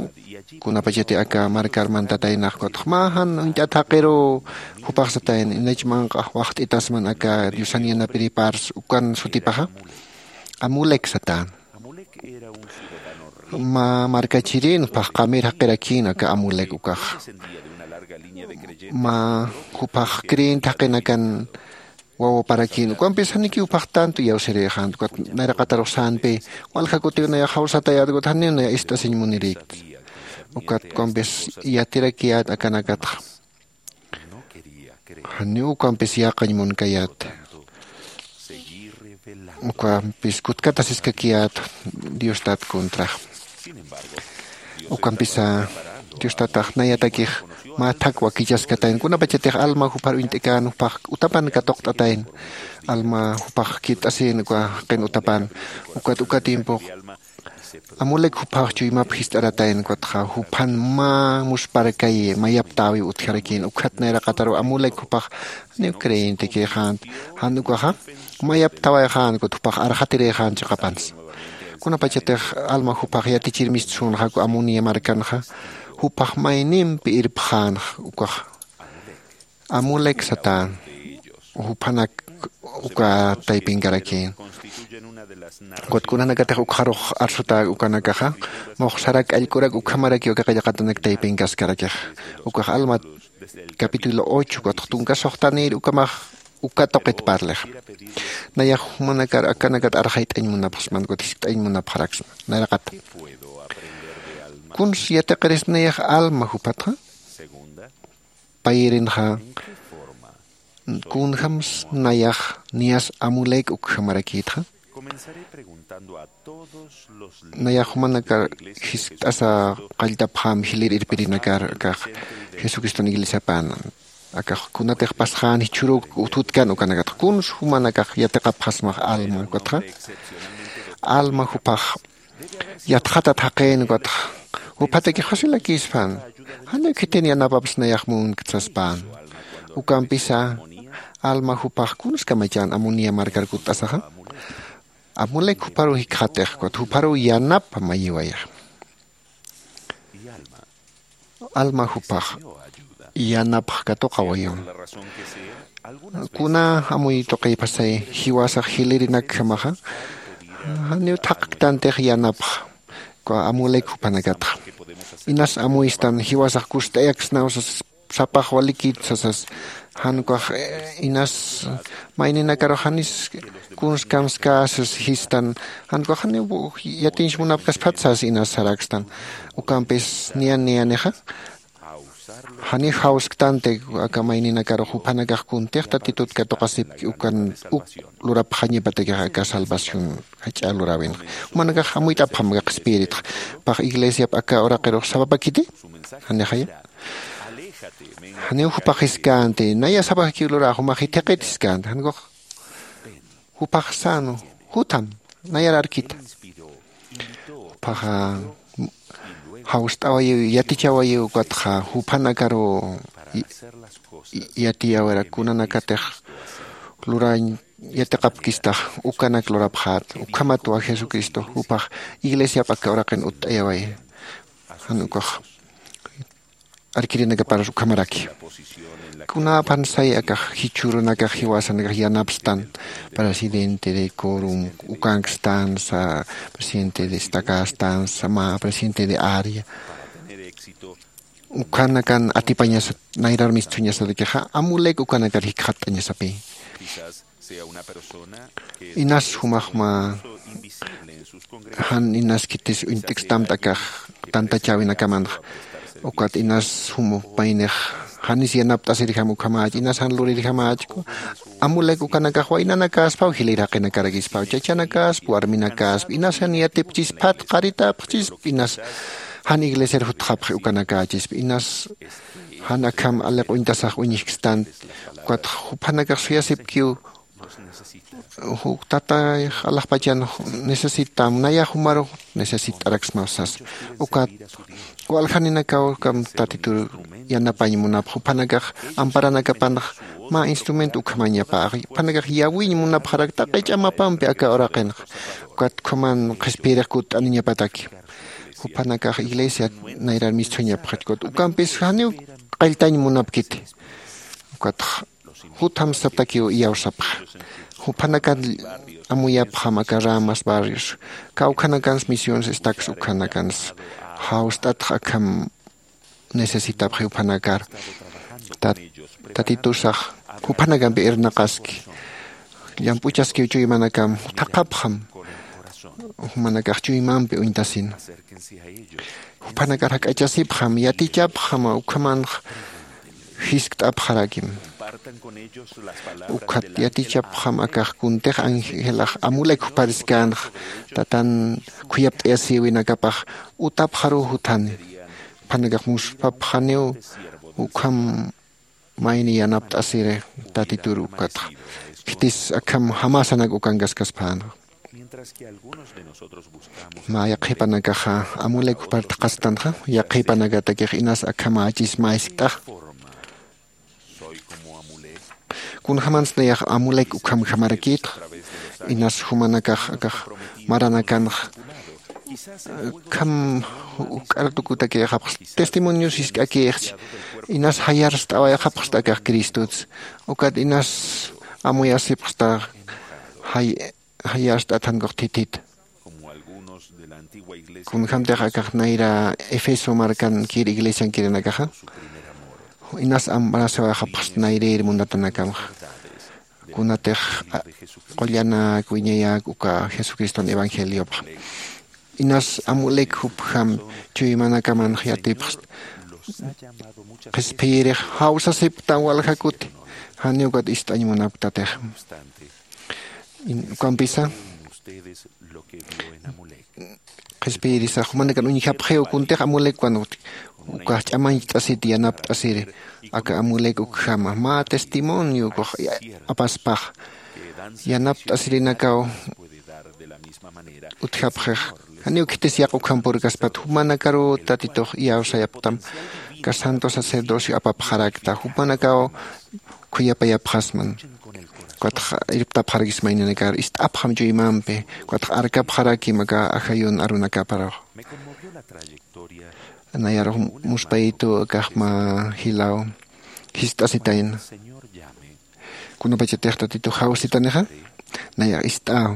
kunapachati aka markar mantataynax ukatxa mä jan uñt'at jaqiruw jupax satayna inach manq'a waxt'itasman aka diosan yanapiripars ukan sutipaxa amulek satän mä markachirin phaxqamir jaqirakïn aka amulek ukax mä juphax creyente jaqinakan wawaparakïn ukampis janikiw phaxtantu iyawsirïxänti ukat nayraqatarux sänpi walja kutiw nayax jawsatayät ukat janiw naya ist'asiñ munirïkti ukat ukampis yatirakiyät akanakatxa janiw ukampis yäqañ munkayät ukampis kutkatasiskakiyät diostat contrax ukampisa Dios tatax nayatakix mä thak wakichaskatayn kunapachatix alma jupar uñt'ikän jupax utapan katuqt'atayn. Alma jupax kirt'asïn uka jaqin utapan ukat uka tiempux amulek juphax chuymap jist'aratayn ukatxa juphan mä muspharkayi mayaptäwiw utjarakïn ukhat nayraqataruw amulek juphax janiw creyentekïxänti. Jan ukaxa mayaptawayxän ukat juphax arxatirïxän chiqapansa. Kunapachatix alma juphax yatichir mistsunxaku amonia markanxa juphax maynimpi irpxänxa ukaxa amulek satän. Juphanak uka taypinkarakïn ukat kunanakatix ukxarux arsutäk ukanakaxa muxsarak allk'urak ukhamarakiw aka qillqatanak taypinkaskarakixa. Ukax alma capítulo ocho ukatx tunka suxtanïr ukamax uka tuqit parlixa. Nayax jumanakar akanakat arxayt'añ munapxsman ukat jiskt'añ munapxaraksma nayraqata. Kuns yatiqiris nayax alma juphatxa payirinxa kunjams nayax niyas amulek ukjamarakïtxa? Nayax jumanakar jiskt'asa qalltapxam jilir irpirinakar akax jesucriston iglesiapan akax kunatix pasxän jichhüruk uthutkan ukanakatxa kuns jumanakax yatiqapxasmax alma ukatxa alma juphax yatxatat jaqïn ukatxa juphatakix facilakïspan janiw khitin yanapaps nayax munkt saspän. Ukampisa alma juphax kuns kamachan amonia markar kutt'asaxa amulek jupharuw jikxatix ukat jupharuw yanap mayiwayax. Alma juphax yanapx katuqawayun. Kuna amuy tuqipasay jiwasax jilirinak jamaxa janiw thaqktantix yanapx amulek juphanakatxa inas amuystan jiwasax kust'ayaksnaw sas sapax walikit sasas jan ukax inas mayninakarux janis kunskamskäsas jistan jan ukax janiw yatiñs munapkasphat sas inas sarakstan. Ukampis niyan niyanixa janiw jawsktanti aka mayninakarux juphanakax kuntix tatitut katuqasipki ukan uk lurapxañapatakix aka salvación jach'a luräwinxa. Jumanakax amuyt'apxam aka qhispiyiritxa pax iglesiap aka uraqirux sapapakiti janixaya janiw jupax jiskänti naya sapakiw luräx jumax jithiqit jiskänti jan ukax jupax sänu jutham nayar arkita. Juphaxa jawst'awayiw yatichawayiw ukatxa juphanakaruw yatiyäwirak kunanakatix luräñ yatiqapkistax ukanak lurapxät. Ukhamatwa jesucristo jupax iglesiap aka uraqin utt'ayaway jan ukax arkirinakaparus ukhamaraki. Kunäpan say akax jichhürunakax jiwasanakax yanapstan presidente de corum ukankstansa presidente destakästansa mä presidente de área ukhanakan atipañasat nayrar mistsuñasatakixa amulek ukanakar jikxatt'añasapï. Inas jumaxma jan inas khitis uñt'kstamta akax tantachäwinakamanxa ukat inas jum paynix janis yanapt'asirjam ukhamäch inas jan lurirjamäch amulek ukanakax waynanakäspaw jilïr jaqinakarakispaw chachanakasp warminakasp inas jan yatipchisp phat qaritapxchisp inas jan iglesiar jutxapxi ukanakächisp inas jan akham aliq uñtasax uñjkstant. Ukatx juphanakax suyasipkiw juk tatayx alaxpachan necesitam nayax jumarux necesitt'araksmaw sasa. Ukat waljaninakawkam tatitur yanapañ munapx juphanakax amparanakapanx mä instrumento ukhamañapäx juphanakax yawiñ munapxarak taqi ch'amapampi aka uraqinx. Ukat ukhaman qhispiyirix kutt'aniñapataki juphanakax iglesia nayrar mistsuñapxach ukat ukampis janiw qalltañ munapkiti. Ukatx jutham satakiw iyawsapxa juphanakan amuyapxam aka ramas barrios kawkhanakans misiones estaks ukhanakans jawst'atx akham necesitapxi juphanakar. Tatitusax juphanakampi irnaqaski llamp'uchaskiw chuymanakam thaqhapxam jumanakax chuymampi uñtasina. Juphanakar jak'achasipxam yatichapxam ukhamanx jiskt'apxarakim. Ukhat yatichapxam akax kuntix angelax amulek jupariskänx tatan khuyapt'ayasïwinakapax utapxaruw juthani. qhanakax muspapxaniw ukham mayni yanapt'asiri tatitur ukatxa khitis akham jamasanak ukankaskaspänxa. Mä yaqhipanakaxa amulek jupar thaqhastanxa yaqhipanakatakix inas akham achis mä jiskt'axa. Kunjämansa nayax amulek ukhamjamarakïtxa inas jumanakax akax maranakanxa akham juk'artukutakïxapxsta testimonios jisk'akïxchi inas jayarst'awayxapxsta akax cristotsa ukat inas amuyasipxsta jay jayarst'at jankux thithita. Kunjämtix akax nayra efeso markankir iglesiankirinakaxa inas ambrasawayxapxsta nayrïr munatanakamxa kunatix qullanäk wiñayäk uka jesucriston evangeliopxa inas amulek jupjam chuymanakamanxa yatipxsta qhispiyirix jawsasipktam walja kuti janiw ukat ist'añ munapktatix. Ukampisa qhispiyirisax jumanakan uñjapxiw kuntix amulek cuando ukax ch'amañcht'asit yanapt'asiri aka amulek ukjama mä testimonio ukax apaspax yanapt'asirinakaw utjapxix janiw khitis yaq'ukjam purkaspat jumanakaruw tatitux iyawsayapxtam aka santo sacerdocio apapxarakta jumanakaw khuyapayapxasman. Ukatxa irptapxarakisma inanakar ist'apxam chuymampi ukatxa arkapxarakim aka ajayun arunakaparux. Nayarux muspayitu akaxma jilaw jist'asitayna kunapachatix tatitux jawsitanixa nayax ist'aw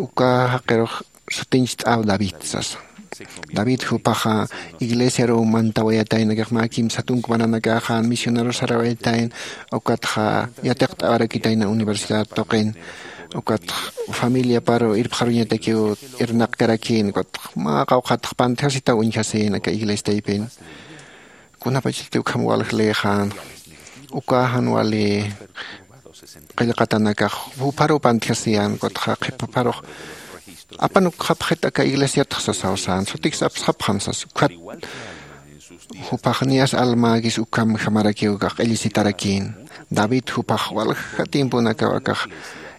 uka jaqirux sutincht'aw david sasa. David jupaxa iglesiaruw mantawayatayna kaxma kimsa tunka maranakaxa misionaru sarawayatayna ukatxa yatiqt'awarakitayna universidad tuqin ukatxa familiaparu irpxaruñatakiw irnaqkarakïn ukatxa mä qawqhatx pantjasitaw uñjasïn aka iglesia taypin. Kunapachati ukham walja leyxän uka jan wali qillqatanakax jupharuw pantjasiyän ukatxa qhipapharux apanukxapxit aka iglesiatx sasaw sän sutiksa apsxapxam sas ukhat. Juphax niyas almäkis ukhamjamarakiw akax q'illisitarakïn. David juphax walja tiemponakaw akax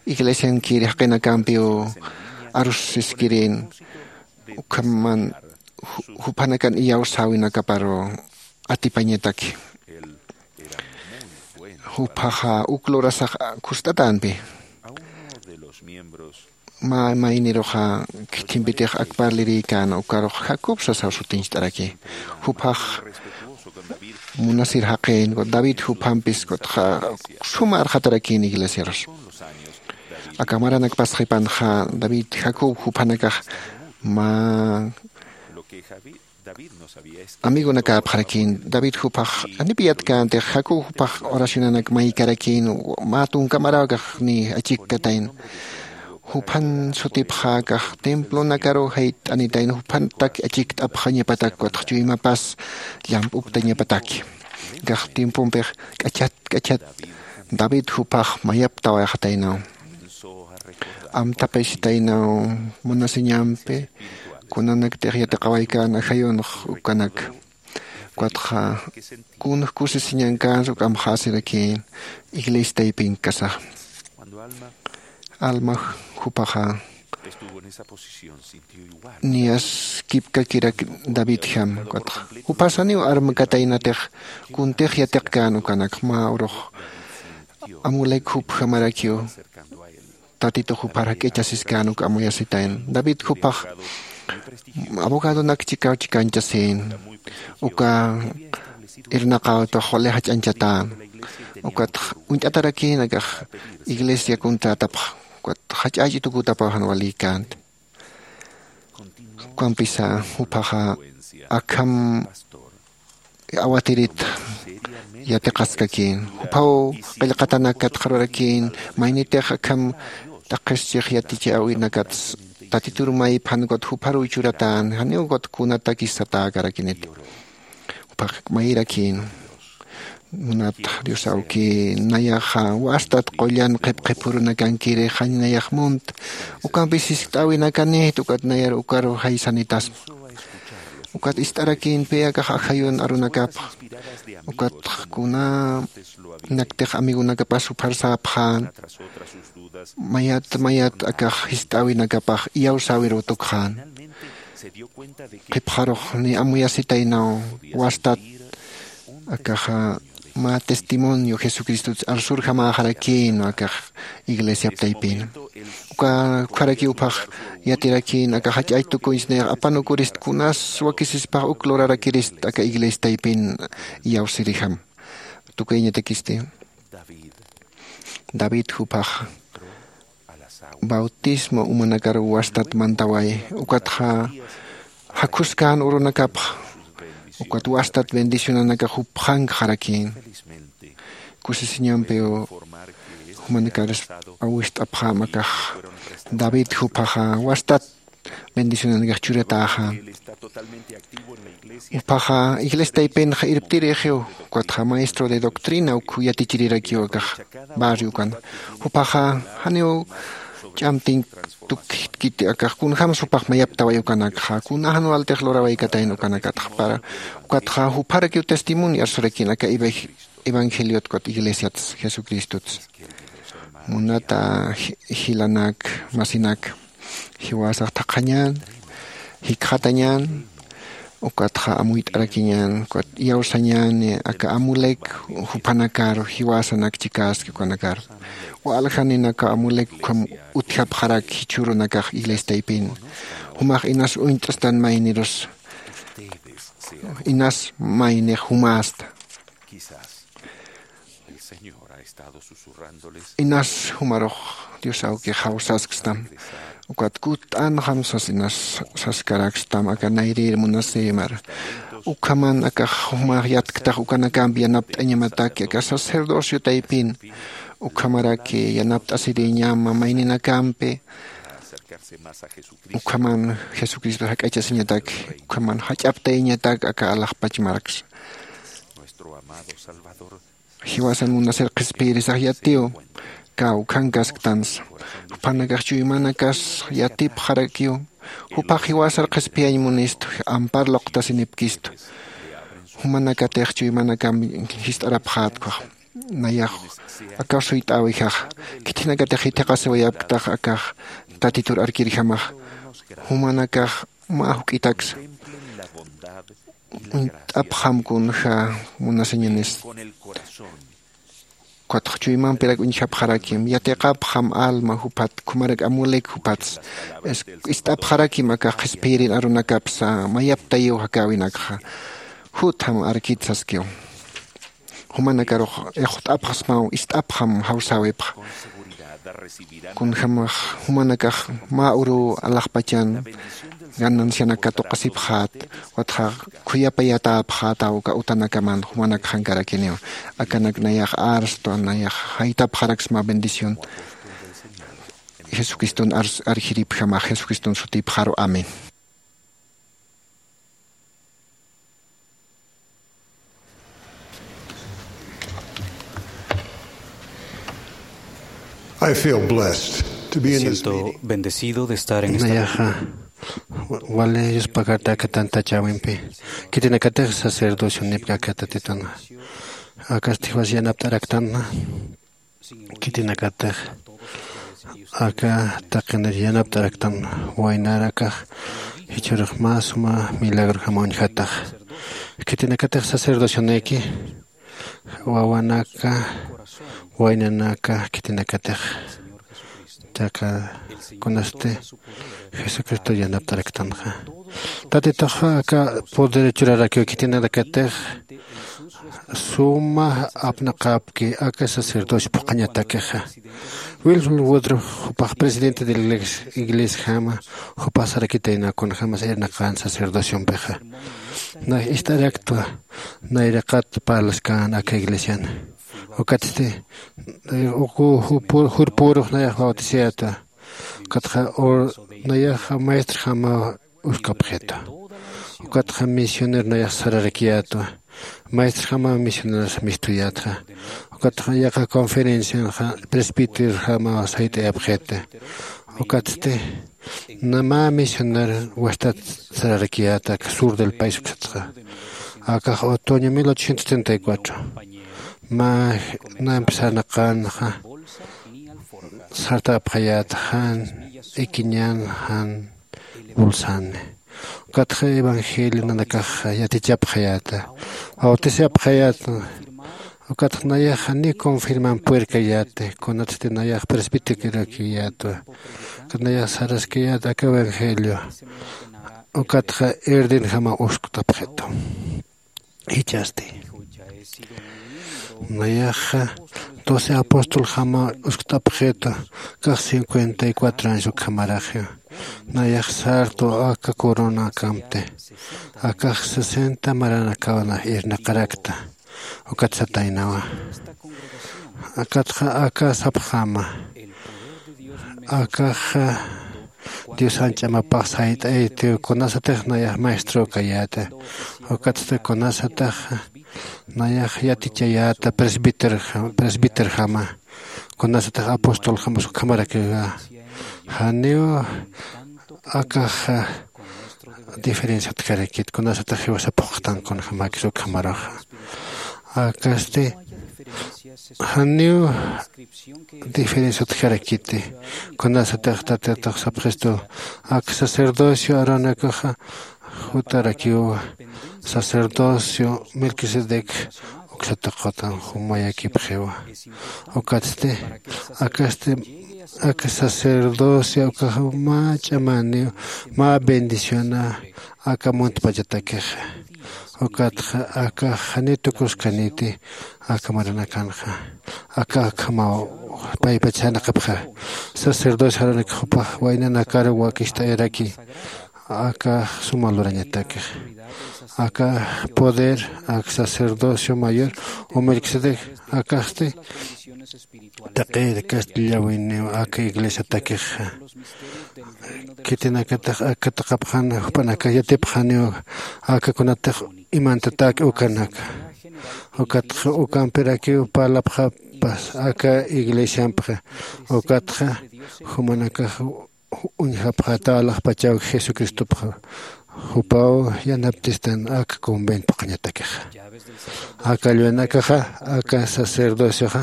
iglesiankir jaqinakampiw arusiskirïn ukhaman juphanakan iyawsäwinakaparu atipañataki. Juphaxa uk lurasax khust'atänpi mä mayniruxa khithimpitix akparlirïkäna ukarux jacob sasaw sutincht'araki. Juphax munasir jaqin david juphampis kutxa suma arxatarakïn iglesiarus. Aka maranak pasxipanxa david jacob juphanakax mä amigonakäpxarakïn. David juphax janipï yatkänti jacob juphax oracionanak maykarakïn mä tunka maraw akax niy achikkatayna. Juphan sutipxäkax templonakaruw jayt'anitayna juphantak achikt'apxañapatak ukatxa chuymapas llamp'uptañapataki. Akax tiempompix k'achat k'achat david juphax mayaptawayxataynaw. Amtapaychitaynaw munasiñampi kunanaktix yatiqawaykäna ajayunx ukanak. Ukatxa kunx kusisiñankänsa uk'amxäsirakïn iglesia taypinkasax. Alma juphaxa niyas kipkakirak davidjam ukatxa jupasaniw armkataynatix kuntix yatiqkän ukanak mä urux amulek jupjamarakiw tatitux jupar jak'ichasiskän uk amuyasitayna. David jupax abogadonak chikaw chikanchasïn uka irnaqäwtux wali jach'añchatän ukatx uñt'atarakïn akax iglesia kunträtapx ukat jach'ach'i tukutapaw jan walïkänti. Ukampisa juphaxa akham awatirit yatiqaskakïn juphaw qillqatanak katxarurakïn maynitix akham t'aqhischix yatichäwinakats tatitur mayphan ukat jupharuw churatän janiw ukat kunatakis satäkarakiniti. Juphax mayrakïn munat dios awki nayaxa wastat qullan qhipqhipurunakankiri jañ nayax munt ukampis jiskt'äwinakanït ukat nayar ukaru jaysanitasma. Ukat ist'arakïnpi akax ajayun arunakapx. Ukat kunanaktix amigonakapas jupharsäpxän. Mayat mayat akax jist'äwinakapax iyawsäwiruw tukxän. Qhipxarux ni amuyasitaynaw wastat akaxa mä testimonio jesucristots arsurjamäxarakïn akax iglesiap taypin. Uka ukharakiw uphax yatirakïn akax jach'ach tukuñchis nayax apanukurist kunas wakisispax uk lurarakirist aka iglesia taypin iyawsirijam. Tukuyñatakisti david juphax bautismo umanakar wastat mantaway. Ukatxa jakhuskän urunakapx ukat wastat bendicionanakax jupxankxarakïn. Kusisiñampiw jumanakar awist'apxäm akax david juphaxa wastat bendicionanakax churatäxän. Juphaxa iglesia taypinxa irptirïxiw. Ukatxa maestro de doctrina uk yatichirirakiw akax barrio ukana. Juphaxa janiw ch'amtiñ tukkiti akax kunjämsa jupax mayaptaway ukanakxa kuna jan waltix luraway katayn ukanakatxa para ukatxa jupharakiw testimonio arsurakïn aka evangeliot ukat iglesiats jesucristots. Munata jilanak masinak, jiwasax thaqhañän jikxatañän ukatxa amuyt'arakiñän ukat iyawsañäni aka amulek juphanakaru jiwasanak chikäski ukanakaru. Waljaninaka amulek ukham utjapxarak jichhürunakax iglesia taypin jumax inas uñt'stan maynirus inas maynix jumästa. Inas jumarux dios awkix jawsaskstam ukat kutt'anxam sas inas saskarakstam aka nayrïr munasïmar. Ukhaman akax jumax yatktax ukanakampi yanapt'añamataki aka sacerdocio taypin ukhamaraki yanapt'asirïñama mayninakampi. Ukhaman jesucristo jak'achasiñatak ukhaman jach'aptayañatak aka alaxpach marksa. Jiwasan munasir qhispiyirisax yatiw kawkhankasktansa. Juphanakax chuymanakas yatipxarakiw. Juphax jiwasar qhispiyañ munistu ampar luqtasinipkistu. Jumanakatix chuymanakamp jist'arapxätkwax. Nayax akaw suyt'äwijaxa. Khithinakatix jithiqasiwayapktax akax tatitur arkirjamaxa. Jumanakax mä juk'itaksa uñt'apxam kunja munasiñanis. Ukatxa chuymampirak uñjapxarakim yatiqapxam alma juphat khumarak amulek juphatsa. Ist'apxarakim akax qhispiyrin arunakapsa mayaptayiw jakäwinakxa. Jutham arkit saskiw. Jumanakarux ixwt'apxsmaw ist'apxam jawsäwipxa. Kunjämax jumanakax mä uruw alaxpachan ganancianak katuqasipxät. Ukatxa khuyapayatäpxätaw uka utanakaman jumanakxankarakiniw. Akanak nayax arstwa nayax jaytapxaraksma bendición. Jesucriston arjiripjamax jesucriston sutipxaru amén. I feel blessed to be in this meeting. Siento bendecido de estar en esta nayaxa wali yuspakarta aka tantachäwimpi. Khitinakatix sacerdocionipka aka tatituna akasti jiwas yanapt'araktanna. Khitinakatix aka taqinir yanapt'araktan waynarakax jichhürux mä suma milagrojama uñjatax. Khitinakatix sacerdocioniki wawanaka waynanaka khitinakatix taqi kunasti jesucristo yanapt'araktanxa. Tatitux aka poder churarakiw khitinakatix suma apnaqapki aka sacerdocio phuqhañatakixa. Wilford Woodruff jupax presidente de la iglesiajama jupax sarakitayna kunjämas irnaqan sacerdociompixa. Nax ist'araktwa nayraqat parlaskän aka iglesian. Ukatsti uku jurpürux nayax bautisayätwa. Ukatxa nayaxa maestrjama uskapxitwa. Ukatxa misionero nayax sararakiyätwa. Maestrjama misioneros mistuyätxa. Ukatxa yaqa conferencianxa presbíterojama sayt'ayapxiti. Ukatsti Mä misionar wastat sararakiyäta aka sur del país uksatxa. Akax otoño mil ochocientos treinta y cuatro mä nampi sarnaqänxa sartapxayäta jan ikiñan jan bolsani. Ukatxa evangelio nanakax yatichapxayäta, bautisapxayäta. Ukatxa nayaxa ni confirman puerkayäti kunatsti nayax presbiterorakiyätwa. Ukat nayax saraskayät aka evangelio. Ukatxa irdenjama uskt'apxitu. Jichhasti nayaxa doce apostoljama uskt'apxitu. Kax cincuenta y cuatro años ukhamaraxiw nayax sartu aka coronakamti. Akax sesenta maranakaw irnaqarakta. Ukat sataynawa. Akatxa aka sapxama akaxa dios anch'amapax sayt'aytiw kunasatix nayax maestro kayäta. Ukatsti kunasatix nayax yatichayäta presbiterjama kunasatix apostoljama ukhamarakiwa. Janiw akaxa diferencia utjarakit kunasatix jiwasa phuqtan kunjämakis ukhamaruxa. Akasti janiw diferencia utjarakiti. Kunasatix tatitux sapxistu ak sacerdocio aronakuxa jutarakiw sacerdocio melquisedec uksatuqutan jumayakipxiwa. Ukatsti akasti aka sacerdocio ukaxa mä ch'amaniw mä bendiciona aka muntpachatakixa. Ukatxa akax janiw tukuskaniti aka maranakanxa. Aka akhamaw paypach janaqapxa sacerdocio aronakuxa jupax waynanakar wakicht'ayaraki. Aka suma lurañatakix aka poder ak sacerdocio mayor o melquisedec akaxti taqir kastillawiniw aka iglesiatakix. Khitinakatix aka taqapxan jupanakax yatipxaniw aka kunatix imantatak ukanaka. Ukatxa ukampirakiw parlapxapas aka iglesiampxa. Ukatxa jumanakax uñjapxata alaxpachaw jesucristopxa jupaw yanaptistan aka convento phuqhañatakixa. Aka lluwanakaxa aka sacerdocioxa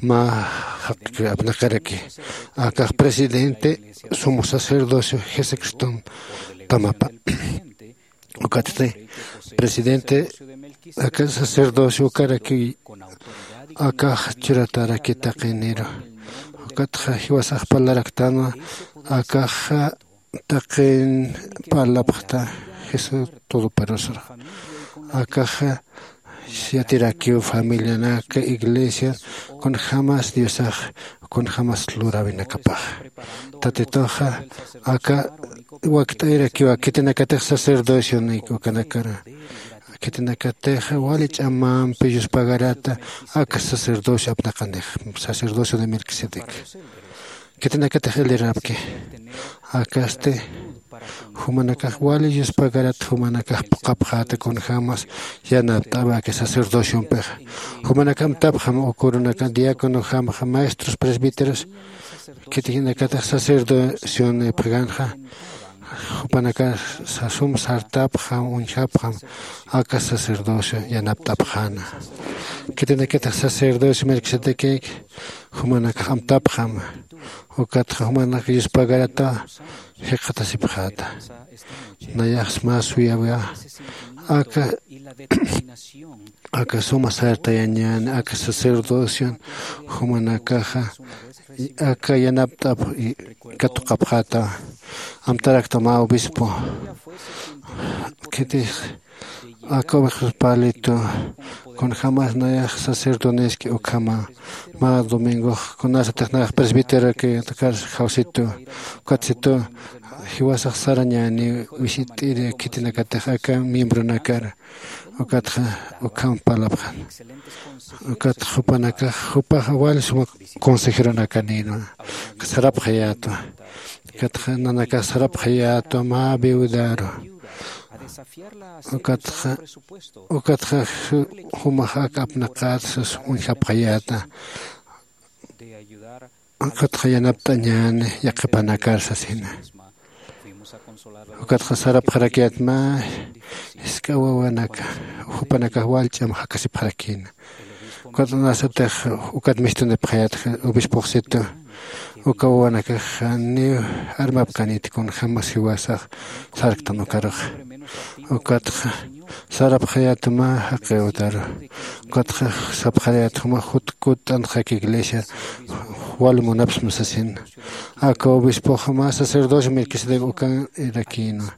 mä jaqkir apnaqaraki. Akax presidente sumo sacerdocio jesucriston tamapa. Ukatsti presidente aka sacerdocio ukaraki akax churataraki taqiniru. Ukatxa jiwasax parlaraktanwa akaxa taqin parlapxta jesús todopoderoso. Akaxa yatirakiw familianaka iglesia kunjämas diosax kunjämas luräwinakapax. Tatituxa aka wakt'ayrakiwa khitinakatix sacerdocionik ukanakara. Khitinakatix wali ch'amampi yuspagarata aka sacerdocio apnaqanix sacerdocio de melquisedec. Khitinakatix elirapki akasti jumanakax wali yuspagarat jumanakax phuqhapxäta kunjämas yanapt'awaki sacerdociompixa. Jumanakax amtapxam ukurunaka diaconojamxa maestros presbíteros khitinakatix sacerdocionipxganxa jupanakax sum sartapxam uñjapxam aka sacerdocio yanapt'apxäna. Khitinakatix sacerdocio melquisedecïk jumanakax amtapxam ukatxa jumanakax yuspagarata jikxatasipxäta. Nayax mä suyawia aka aka suma sartayañäni aka sacerdocion jumanakaxa aka yanapt'ap katuqapxäta. Amtarakta mä obispo khitix aka ovejas palitu kunjämas nayax sacerdoneski ukhama mä domingox kunasatix nayax presbíteroki kar jawsitu ukatsitu jiwasax sarañäni wisit'iri khitinakatix aka miembronakar. Ukatxa ukham parlapxan ukatxa jupanakax jupaxa wali suma consejeronakanïnwa sarapxayätwa. Ukatxa nanakax sarapxayätwa mä viudaru ukatxa ukatxa jumax ak apnaqät sas uñjapxayäta. Ukatxa yanapt'añäni yaqhipanakar sasina Ukatxa sarapxarakiyät mä jisk'a wawanaka, jupanakax wal ch'am jakasipxarakïna. Ukat kunasatix ukat mistunipxayät obispoxsitu, uka wawanakax janiw armapkaniti kunjämas jiwasax sarktan ukaruxa. Ukatxa sarapxayät mä jaqiw utaru. Ukatxa sapxarayät juma jut kutt'antxak iglesia wal munapsma sasin. Aka obispoxa mä sacerdocio Melquisedec ukan irakïnwa.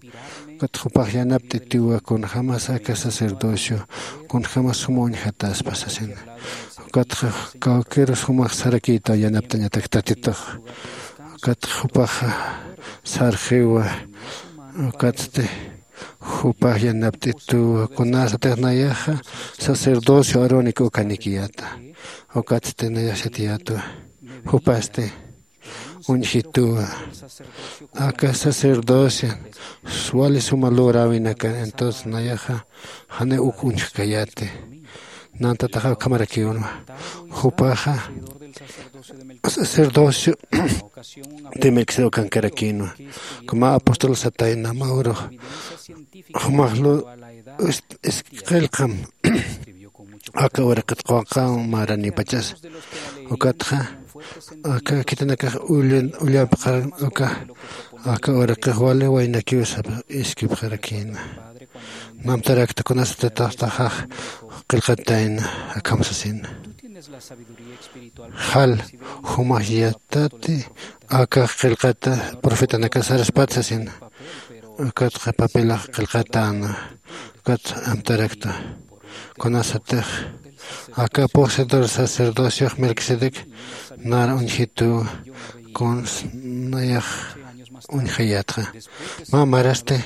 Ukatxa jupax yanapt'itüwa kunjämas aka sacerdocio kunjämas suma uñjataspa sasin. Ukatxa kawkirus jumax sarakïtaw yanapt'añatak Tatitux. Ukatxa jupaxa sarxiwa. Ukatsti jupax yanapt'itüwa kunasatix nayaxa sacerdocio Aarónico ukanikiyäta. Ukatsti nayax sitiyätwa. Jupasti uñjitüwa. Aka sacerdocio wali suma logräwinakar, entonces nayaxa janiw uk uñjkayäti. Nantataxa ukhamarakiwnwa. Jupaxa sacerdocio de Melquisedec ukankarakïnwa. Mä apóstol satayna mä urux jumax lu qillqam aka uraqit quwanqaw maranipachas. Ukatxa aka khitinakax ullapxaran uka aka uraqix wali waynakiw sapa iskipxarakïna. Namtarakta kunasatataxtaxax qillqatayna akham sasina. Jal jumax yatati akax qillqata profetanakax saraspat sasina. Ukatxa papelax qillqatäna. Ukat amtarakta kunasatix aka poseedor sacerdociox Melquisedec nar uñjitüwa. Kuns nayax uñjayätxa mä marasti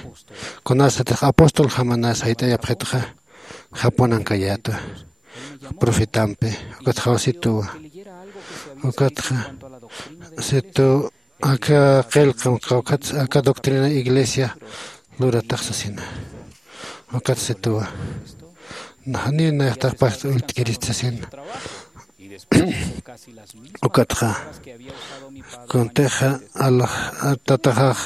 kunasatix apóstoljamanas jayt'ayapxitxa japunankayätwa profetampi. Ukat jawsitüwa. Ukatxa situ aka qillqam kawkhat aka doctrina iglesia luratax sasina. Ukat situwa janiw nayaxtax past ullt'kirist sasina. Ukatxa kuntixa alax tataxax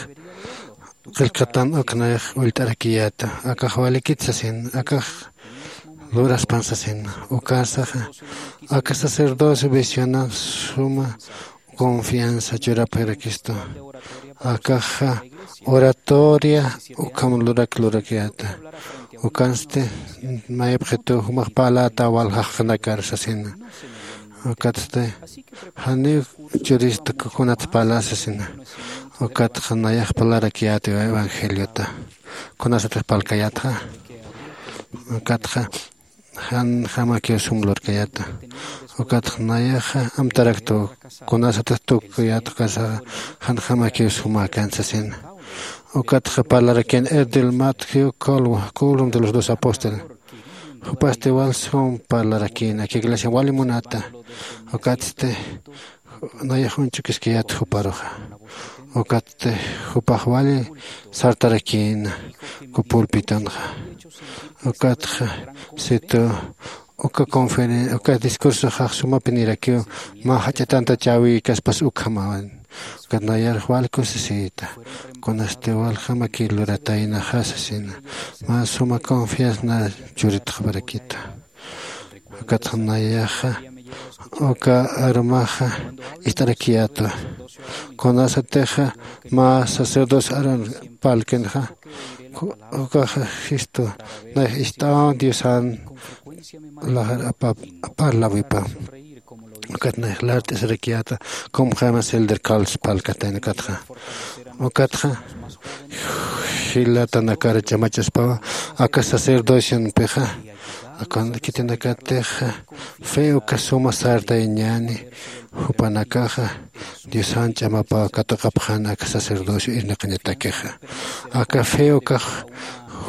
qillqatan uk nayax ullt'arakiyäta akax walikit sasin akax luraspan sasin. Ukasaxa aka sacerdocio visionan suma confianza churapxirakistu. Akaxa oratoria ukham lurak lurakiyäta. Ukansti mayapxitu jumax parläta wal jaqinakar sasina. Ukatsti janiw churista kunat parla sasina. Ukatxa nayax parlarakiyäti evangeliota. Kunasatix parlkayätxa ukatxa janjamakiw sum lurkayäta. Ukatxa nayaxa amtaraktu kunasatix tukuyätxa ukasaxa janjamakiw sumäkän sasina. Ukatxa parlarakin erdil Matthew Colwa, Colum de los dos apóstoles. Jupasti wal sum parlarakin aka iglesia wali munata. Ukatsti nayax uñchukiskayät juparuxa. Ukatsti jupax wali sartarakïna kupulpitunxa. Ukatxa situ uka conferen uka discursoxax sumapinirakiw mä jach'atanta chäwïkaspas ukhamawan. Ukat nayarux wal kusisïta kunasti waljamakiw lurataynaxa sasina. Mä suma confianza churitxparakita. Ukatxa nayaxa uka arumaxa ist'arakiyätwa. Kunasatixa mä sacerdocio Aarón parlkinxa ukaxa jistu nayax ist'aw diosan lajar parlawipa. Ukat nayax lart'isirakiyäta kumxämas elder Carlos parlkatayna ukatxa. Ukatxa jilatanakar ch'amachaspawa aka sacerdocionpixa. Akan khitinakatixa fe uka suma sartayañäni. Jupanakaxa diosan ch'amapaw katuqapxän aka sacerdocio irnaqañatakixa. Aka fe ukax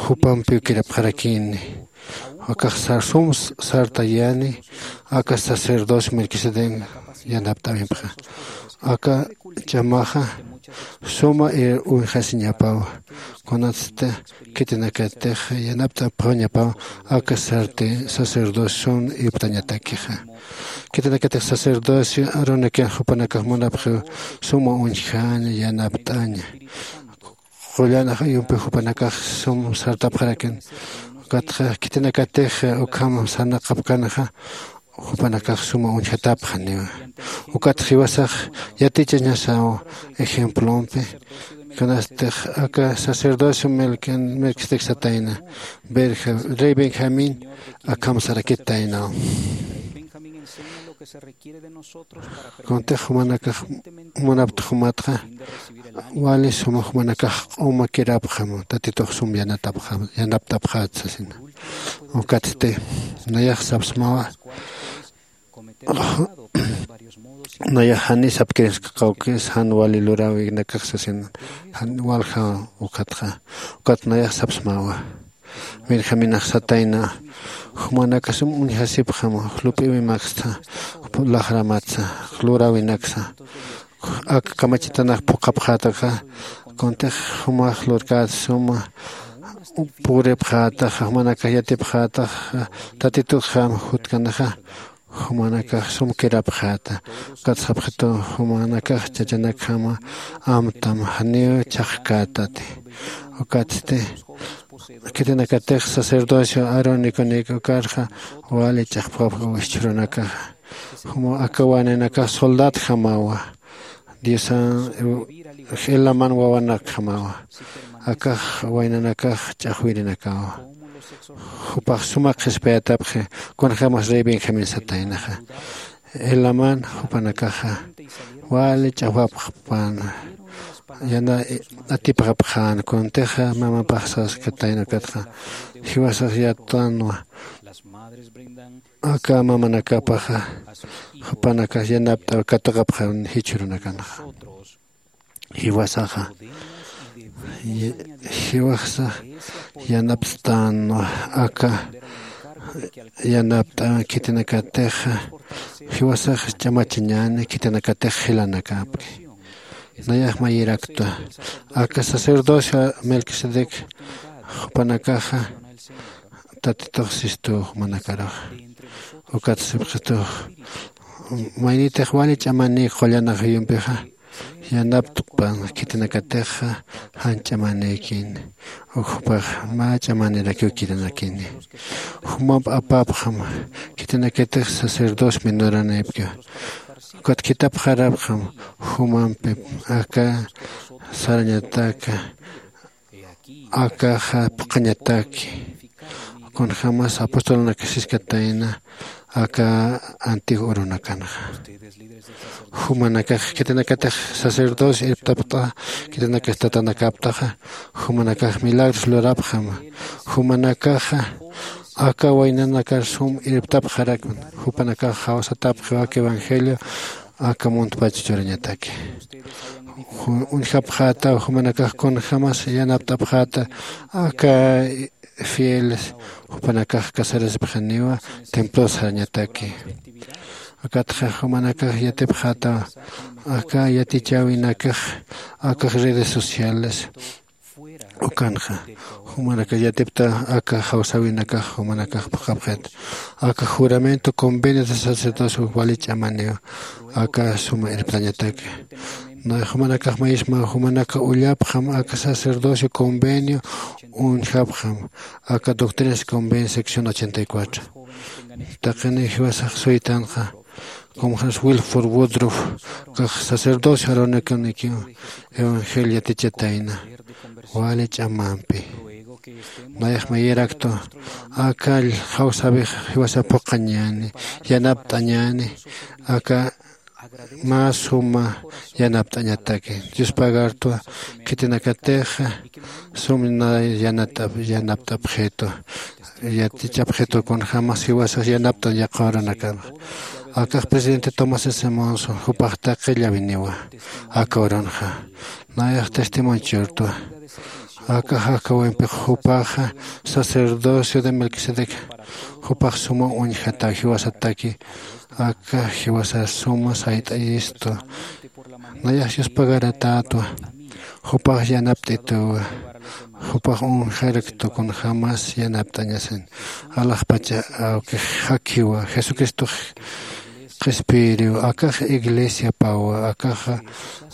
jupampiw kirapxarakïni. Akax sum sartayäni aka sacerdocio Melquisedec yanapt'äwimpxa. Aka ch'amaxa suma uñjasiñapaw. Kunatsti khitinakatix yanapt'apxañapaw aka sarti sacerdocion irptañatakixa. Khitinakatix sacerdocio Aarónikin jupanakax munapxiw suma uñjaña yanapt'aña. qullan ajayumpi jupanakax sum sartapxarakin. Ukatxa khitinakatix ukham sarnaqapkanaxa jupanakax suma uñjatapxaniwa. Ukatx jiwasax yatichañasaw ejemplompi. Kanastix aka sacerdocio melquisedec satayna, rey benjamín akham sarakitaynaw. Kuntix jumanakax munaptix jumatxa wali suma jumanakax q'uma kirapxam tatitux sum yanatapxam yanaptapxat sasina. Ukatsti nayax sapsmawa. Nayax jani sapkirinskaqawkis jan wali luräwinakax sasina. Jan walja ukatxa ukat nayax sapsmawa. Benjaminax satayna jumanakasum uñjasipxama lup'iwimaksta, laxramatsa, luräwinaksa ak kamachitanax phuqhapxätaka. Kuntix jumax lurkät suma puripxätaxa jumanakax yatipxätaxa tatitutxam jutkanaxa. Jumanakax sum kirapxäta ukat sapxitu jumanakax chachanakjama amtam janiw chhaqkätati. Ukatsti khitinakatix sacerdocio aaroniconik ukarxa wali ch'axpxapxa wischuranakaxa. Juma aka waninakax soldadjamawa. Diosan elaman wawanakjamawa. Akax waynanakax ch'axwirinakawa. Jupax suma qhispiyatapxi kunjämas rey benjamín sataynaxa. Elaman jupanakaxa wali ch'axwapxpan yana atipxapxän kuntixa mamapax saskatayna ukatxa jiwasax yattanwa. Aka mamanakapaxa jupanakax yanapt'aw katuqapxan jichhürunakanxa. Jiwasaxa jiwasax yanapt'anwa aka yanapt'an khitinakatixa jiwasax ch'amachañäni khitinakatix jilanakapki. Nayax mayiraktwa aka sacerdocio melquisedec jupanakaxa tatitux sistuw jumanakaruxa. Ukat sipxitux maynitix wali ch'amanïk qullan ajayumpixa yanapt'pan khitinakatixa jan ch'amanïkini. Uk jupax mä ch'amanirakiw kirinakini. Jumamp apapxam khitinakatix sacerdocio minoranïpkiw. Ukat khitapxarapxam jumampi aka sarañataka akaxa phuqhañataki. Kunjämas apostolunakasiskatayna aka antiguo urunakanxa. Jumanakax khitinakatix sacerdocio irptapxta khitinakax tatanakaptaxa jumanakax milagros lurapxama. Jumanakaxa aka waynanakar sum irptapxarakman jupanakax jawsatapxiw aka evangelio aka muntpach churañataki. Uñjapxätaw jumanakax kunjämas yanapt'apxäta aka fieles jupanakax casarasipxaniwa templos sarañataki. Akatxa jumanakax yatipxätaw aka yatichäwinakax akax redes sociales ukanxa. Jumanakax yatipta aka jawsäwinakax jumanakax phuqhapxit aka juramento convenio de sacerdocio wali ch'amaniw aka suma irptañataki. Jumanakax mayisma jumanakax ullapxam aka sacerdocio convenio uñjapxam aka doctrinas convenio sección ochenta y cuatro. Taqini jiwasax suytanxa como jas wilford woodruff kax sacerdocio aronikanikiw evangelio yatichatayna wali ch'amampi. Nayax mayiraktwa aka jawsäwix jiwasa phuqhañäni yanapt'añäni aka mä suma yanapt'añataki. Dios pagartwa khitinakatixa sum na yanat'ap yanapt'apxitu yatichapxitu kunjämas jiwasax yanapt'an yaqha urunakama. Akax presidente tomás s monson jupax taqi llawiniwa aka urunxa. Nayax testimonio churtwa aka jakawimpi jupaxa sacerdocio de melquisedec jupax suma uñjataw jiwasataki aka jiwasa suma sayt'ayistu. Nayax yuspagaratätwa jupax yanapt'ituwa jupax uñjaraktu kunjämas yanapt'añasin alaxpacha awkix jakiwa jesucristox qhispiyiriw, akax iglesiapawa, akaxa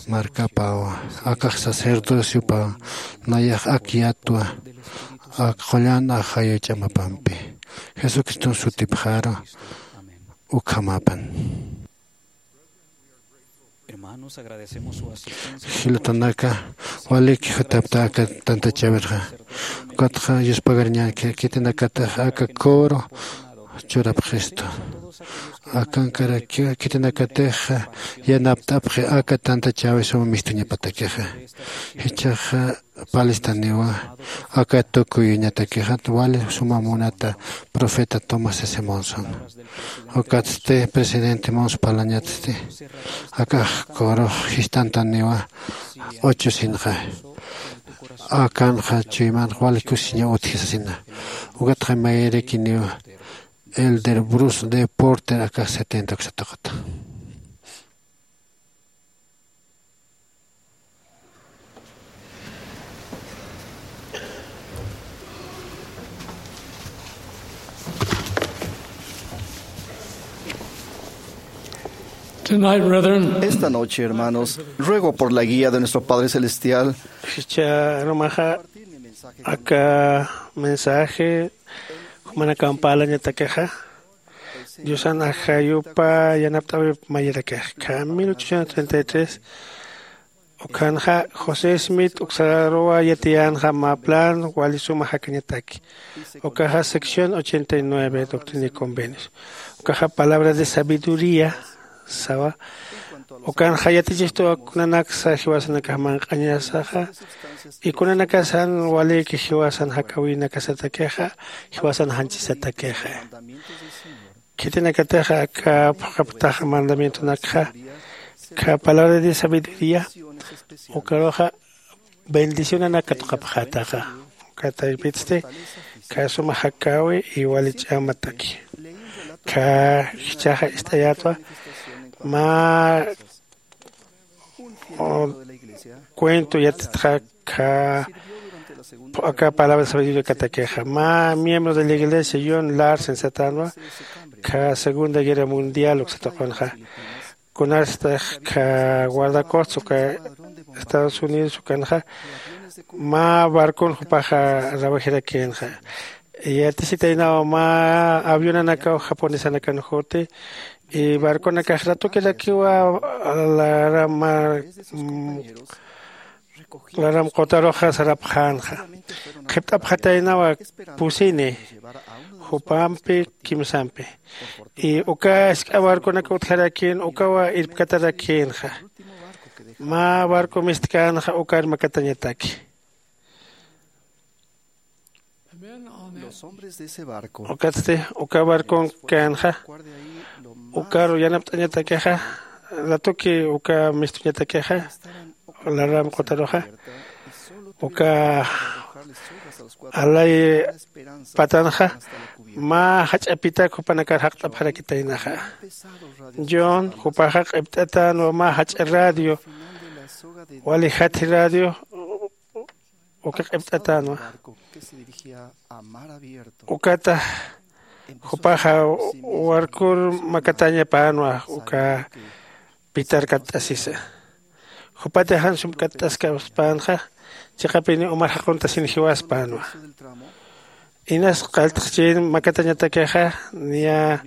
markapawa, akax sacerdociopawa, nayax ak yatwa, ak qullan ajayu ch'amapampi. Jesucriston sutipxaru ukhamapan. Jilatanaka, walik jutapta aka tantachawirxa. Ukatxa yuspagariñanki khitinakatax aka coro churapxistu. Akankaraki khitinakatix yanapt'apxi aka tantachawi suma mistuñapatakixa. Jichhaxa palistaniwa aka tukuyuñatakixat wali suma munata profeta Thomas S. Monson. Ukatsti presidente Monson parlañatsti, akax corux jistantaniwa ocho sinxa. Akanxa chuymanx wali kusiña utji sasina. Ukatxa mayrakiniwa elder Bruce D. Porter akax setenta uksataqata. Tonight, brethren, esta noche, hermanos, ruego por la guía de nuestro Padre Celestial. Jichha arumaxa aka mensaje jumanakampalañatakixa, Diosan ajayupa yanapt'awip mayirakixa. Kha mil ochocientos treinta y tres ukhanxa José Smith uksaruwa yatiyänxa mä plan wali suma jakañataki. Ukaxa sección ochenta y nueve, Doctrina y Convenios. Ukaxa palabra de sabiduría sawa. Ukanxa yatichistuwa kunanaksa jiwasanakax manq'añasaxa, y kunanakasan waliki jiwasan jakawinakasatakixa, jiwasan janchisatakixa. Khitinakatixa aka phuqhaptaxa mandamientonakxa, kha palabra de sabiduría, ukaruxa bendicionanak katuqapxätaxa. Ukataypitsti kha suma jakäwi y wali ch'amataki. Kha jichhaxa ist'ayätwa mä, o, cuento yatitxa kha aka palabra sabiduría katakixa. Mä miembro de la iglesia John Larsen satänwa, kha Segunda Guerra Mundial uksatuqunxa. Kunarstax kha guardacostas uka Estados Unidos ukanxa mä barcon jupaxa rawajirakïnxa. Yatisitaynawa mä avionanakaw japonesanakan juti, y barconakax ratukirakiwa laram, mm, laram qutaruxa sarapxänxa. Qhipt'apxataynawa pusini, jupampi kimsampi. Y uka jisk'a barconak utjarakïn, ukawa irpkatarakïnxa. Mä barco mistkänxa ukar makatañataki. Ukatsti uka barconkänxa, ukaru yanapt'añatakixa, ratuki uka mistuñatakixa, laram qutaruxa, uka alay patanxa, mä jach'apitak jupanakar jaqt'apxarakitaynaxa. John, jupaxa q'ipt'atänwa mä jach'a radio, wali jatji radio, uka q'ipt'atänwa. Ukata jupaxa warkur makatäñapänwa uka pitar katt'asisa. Jupatix jan sumk'att'askapxpänxa, chiqapini umar jaquntasin jiwaspänwa. Inas qalltxchin makatañatakixa, niya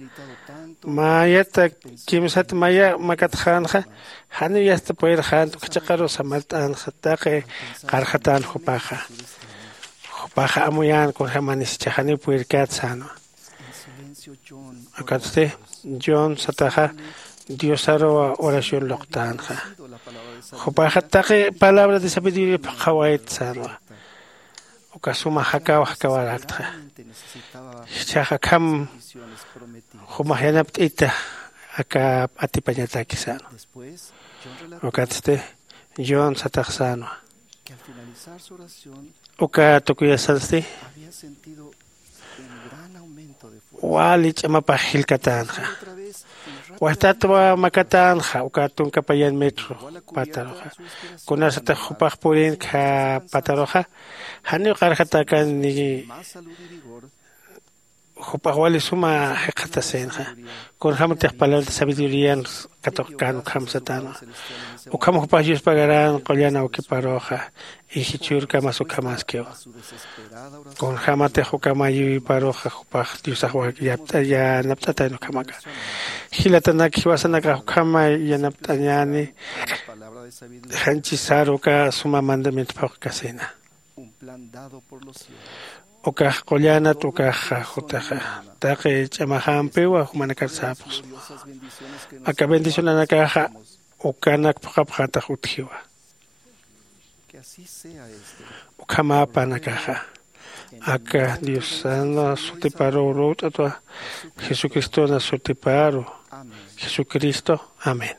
mayata kimsat maya makatxänxa, janiw yasta purirxänti, uka chiqaru samart'änxa, taqi qarxatän jupaxa. Jupaxa amuyän kunjämanis, jichhax janiw purirkät sänwa. Ukatsti John sataxa Diosaruw oración luqtänxa. Jupaxa taqi palabra de sabiduría phuqhawayt sänwa. Uka suma jakaw jakawaräktxa. Jichhax akham jumax yanapt'ita aka atipañataki sänwa. Ukatsti John satax sänwa, uka tukuyasansti wali ch'amapax jillkatänxa. Wastatwa makatänxa uka tunka payan metro pataruxa. Kunasatix jupax purin kha pataruxa, janiw qarxatakan ni jupax wali suma jikxatasïnxa. Kunjämatix palabrata sabidurían katuqkän ukham satanwa. Ukham jupax yuspagaran qullan awkiparuxa y jichhürkamas ukhamaskiw. Kunjämatix ukham ayïwiparuxa jupax diosax yanapt'atayn ukhamaka. Jilatanak jiwasanakax ukham yanapt'añäni. Janchisaru uka suma mandamiento phuqkasïna. Ukax qullanat ukaxa jutixa taqi ch'amaxampiwa jumanakar sapxsma. Aka bendicionanakaxa ukanak phuqhapxätax utjiwa. Ukhamäpanakaxa aka diosana sutiparuw lut'atwa. Jesucristona sutiparu. Jesucristo. Amén.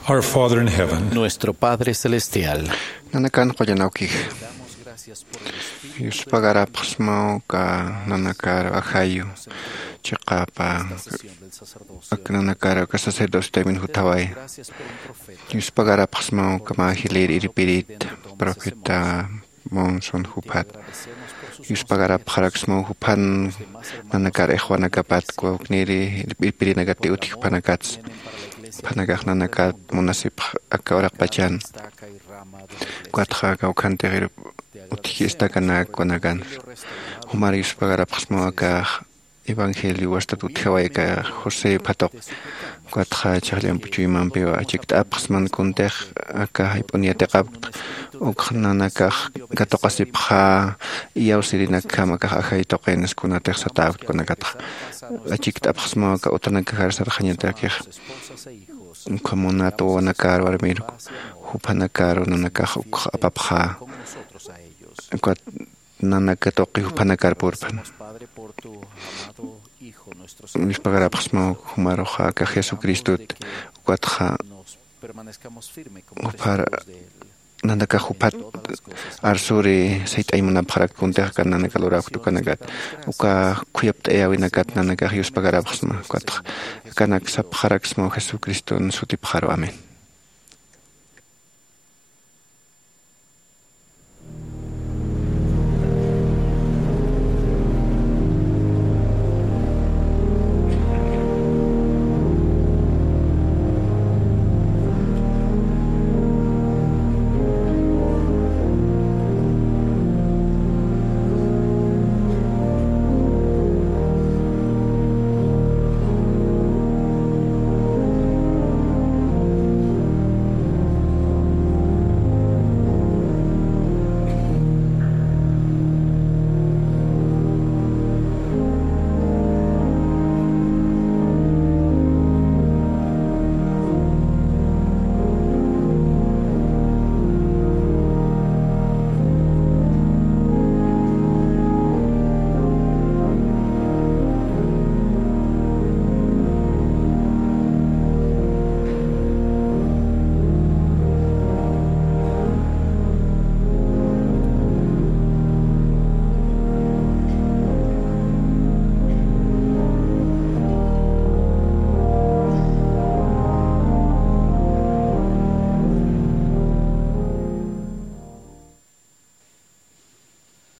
Our Father in heaven, Nuestro Padre Celestial. Nanakan qullan awkix. Yuspagarapxsmaw ka nanakar ajayu chiqapa ak nanakar ka sacerdocio taymin jutaway. Yuspagarapxsmaw ka majilir irpirit profeta Monson juphat. Yuspagarapxaraksmaw juphan nanakar ixwanakapat kwawkniri irpirinakati utji juphanakats. Juphanakax nanakat munasipx aka uraqpachan. Ukatxa kawkhantix utji istakanak wanakan. Jumar yuspagarapxsmaw akax evangelio wastat utjaway aka José phatuq. Ukatxa chhaqllamp chuymampiw achikt'apxsman kuntix aka jayp'un yatiqapkt. Ukx nanakax katuqasipxa iyawsirinakjam akax ajay tuqin kunatix satäpt kunakatxa. Achikt'apxsmaw aka utanakajar sarxañatakix. Ukham munat wawanakar warmir juphanakar nanakax ukx apapxa. Ukat nanaka tuqi juphanakar purpan. Yuspagarapxsmaw jumaruxa aka Jesucristot. Ukatxa juphar nanakax juphat arsuri sayt'añ munapxarak kuntix aka nanaka luräwkt ukanakat. Uka khuyapt'ayäwinakat nanakax yuspagarapxsma. Ukatxa akanak sapxaraksmaw Jesucriston sutipxaru. Amén.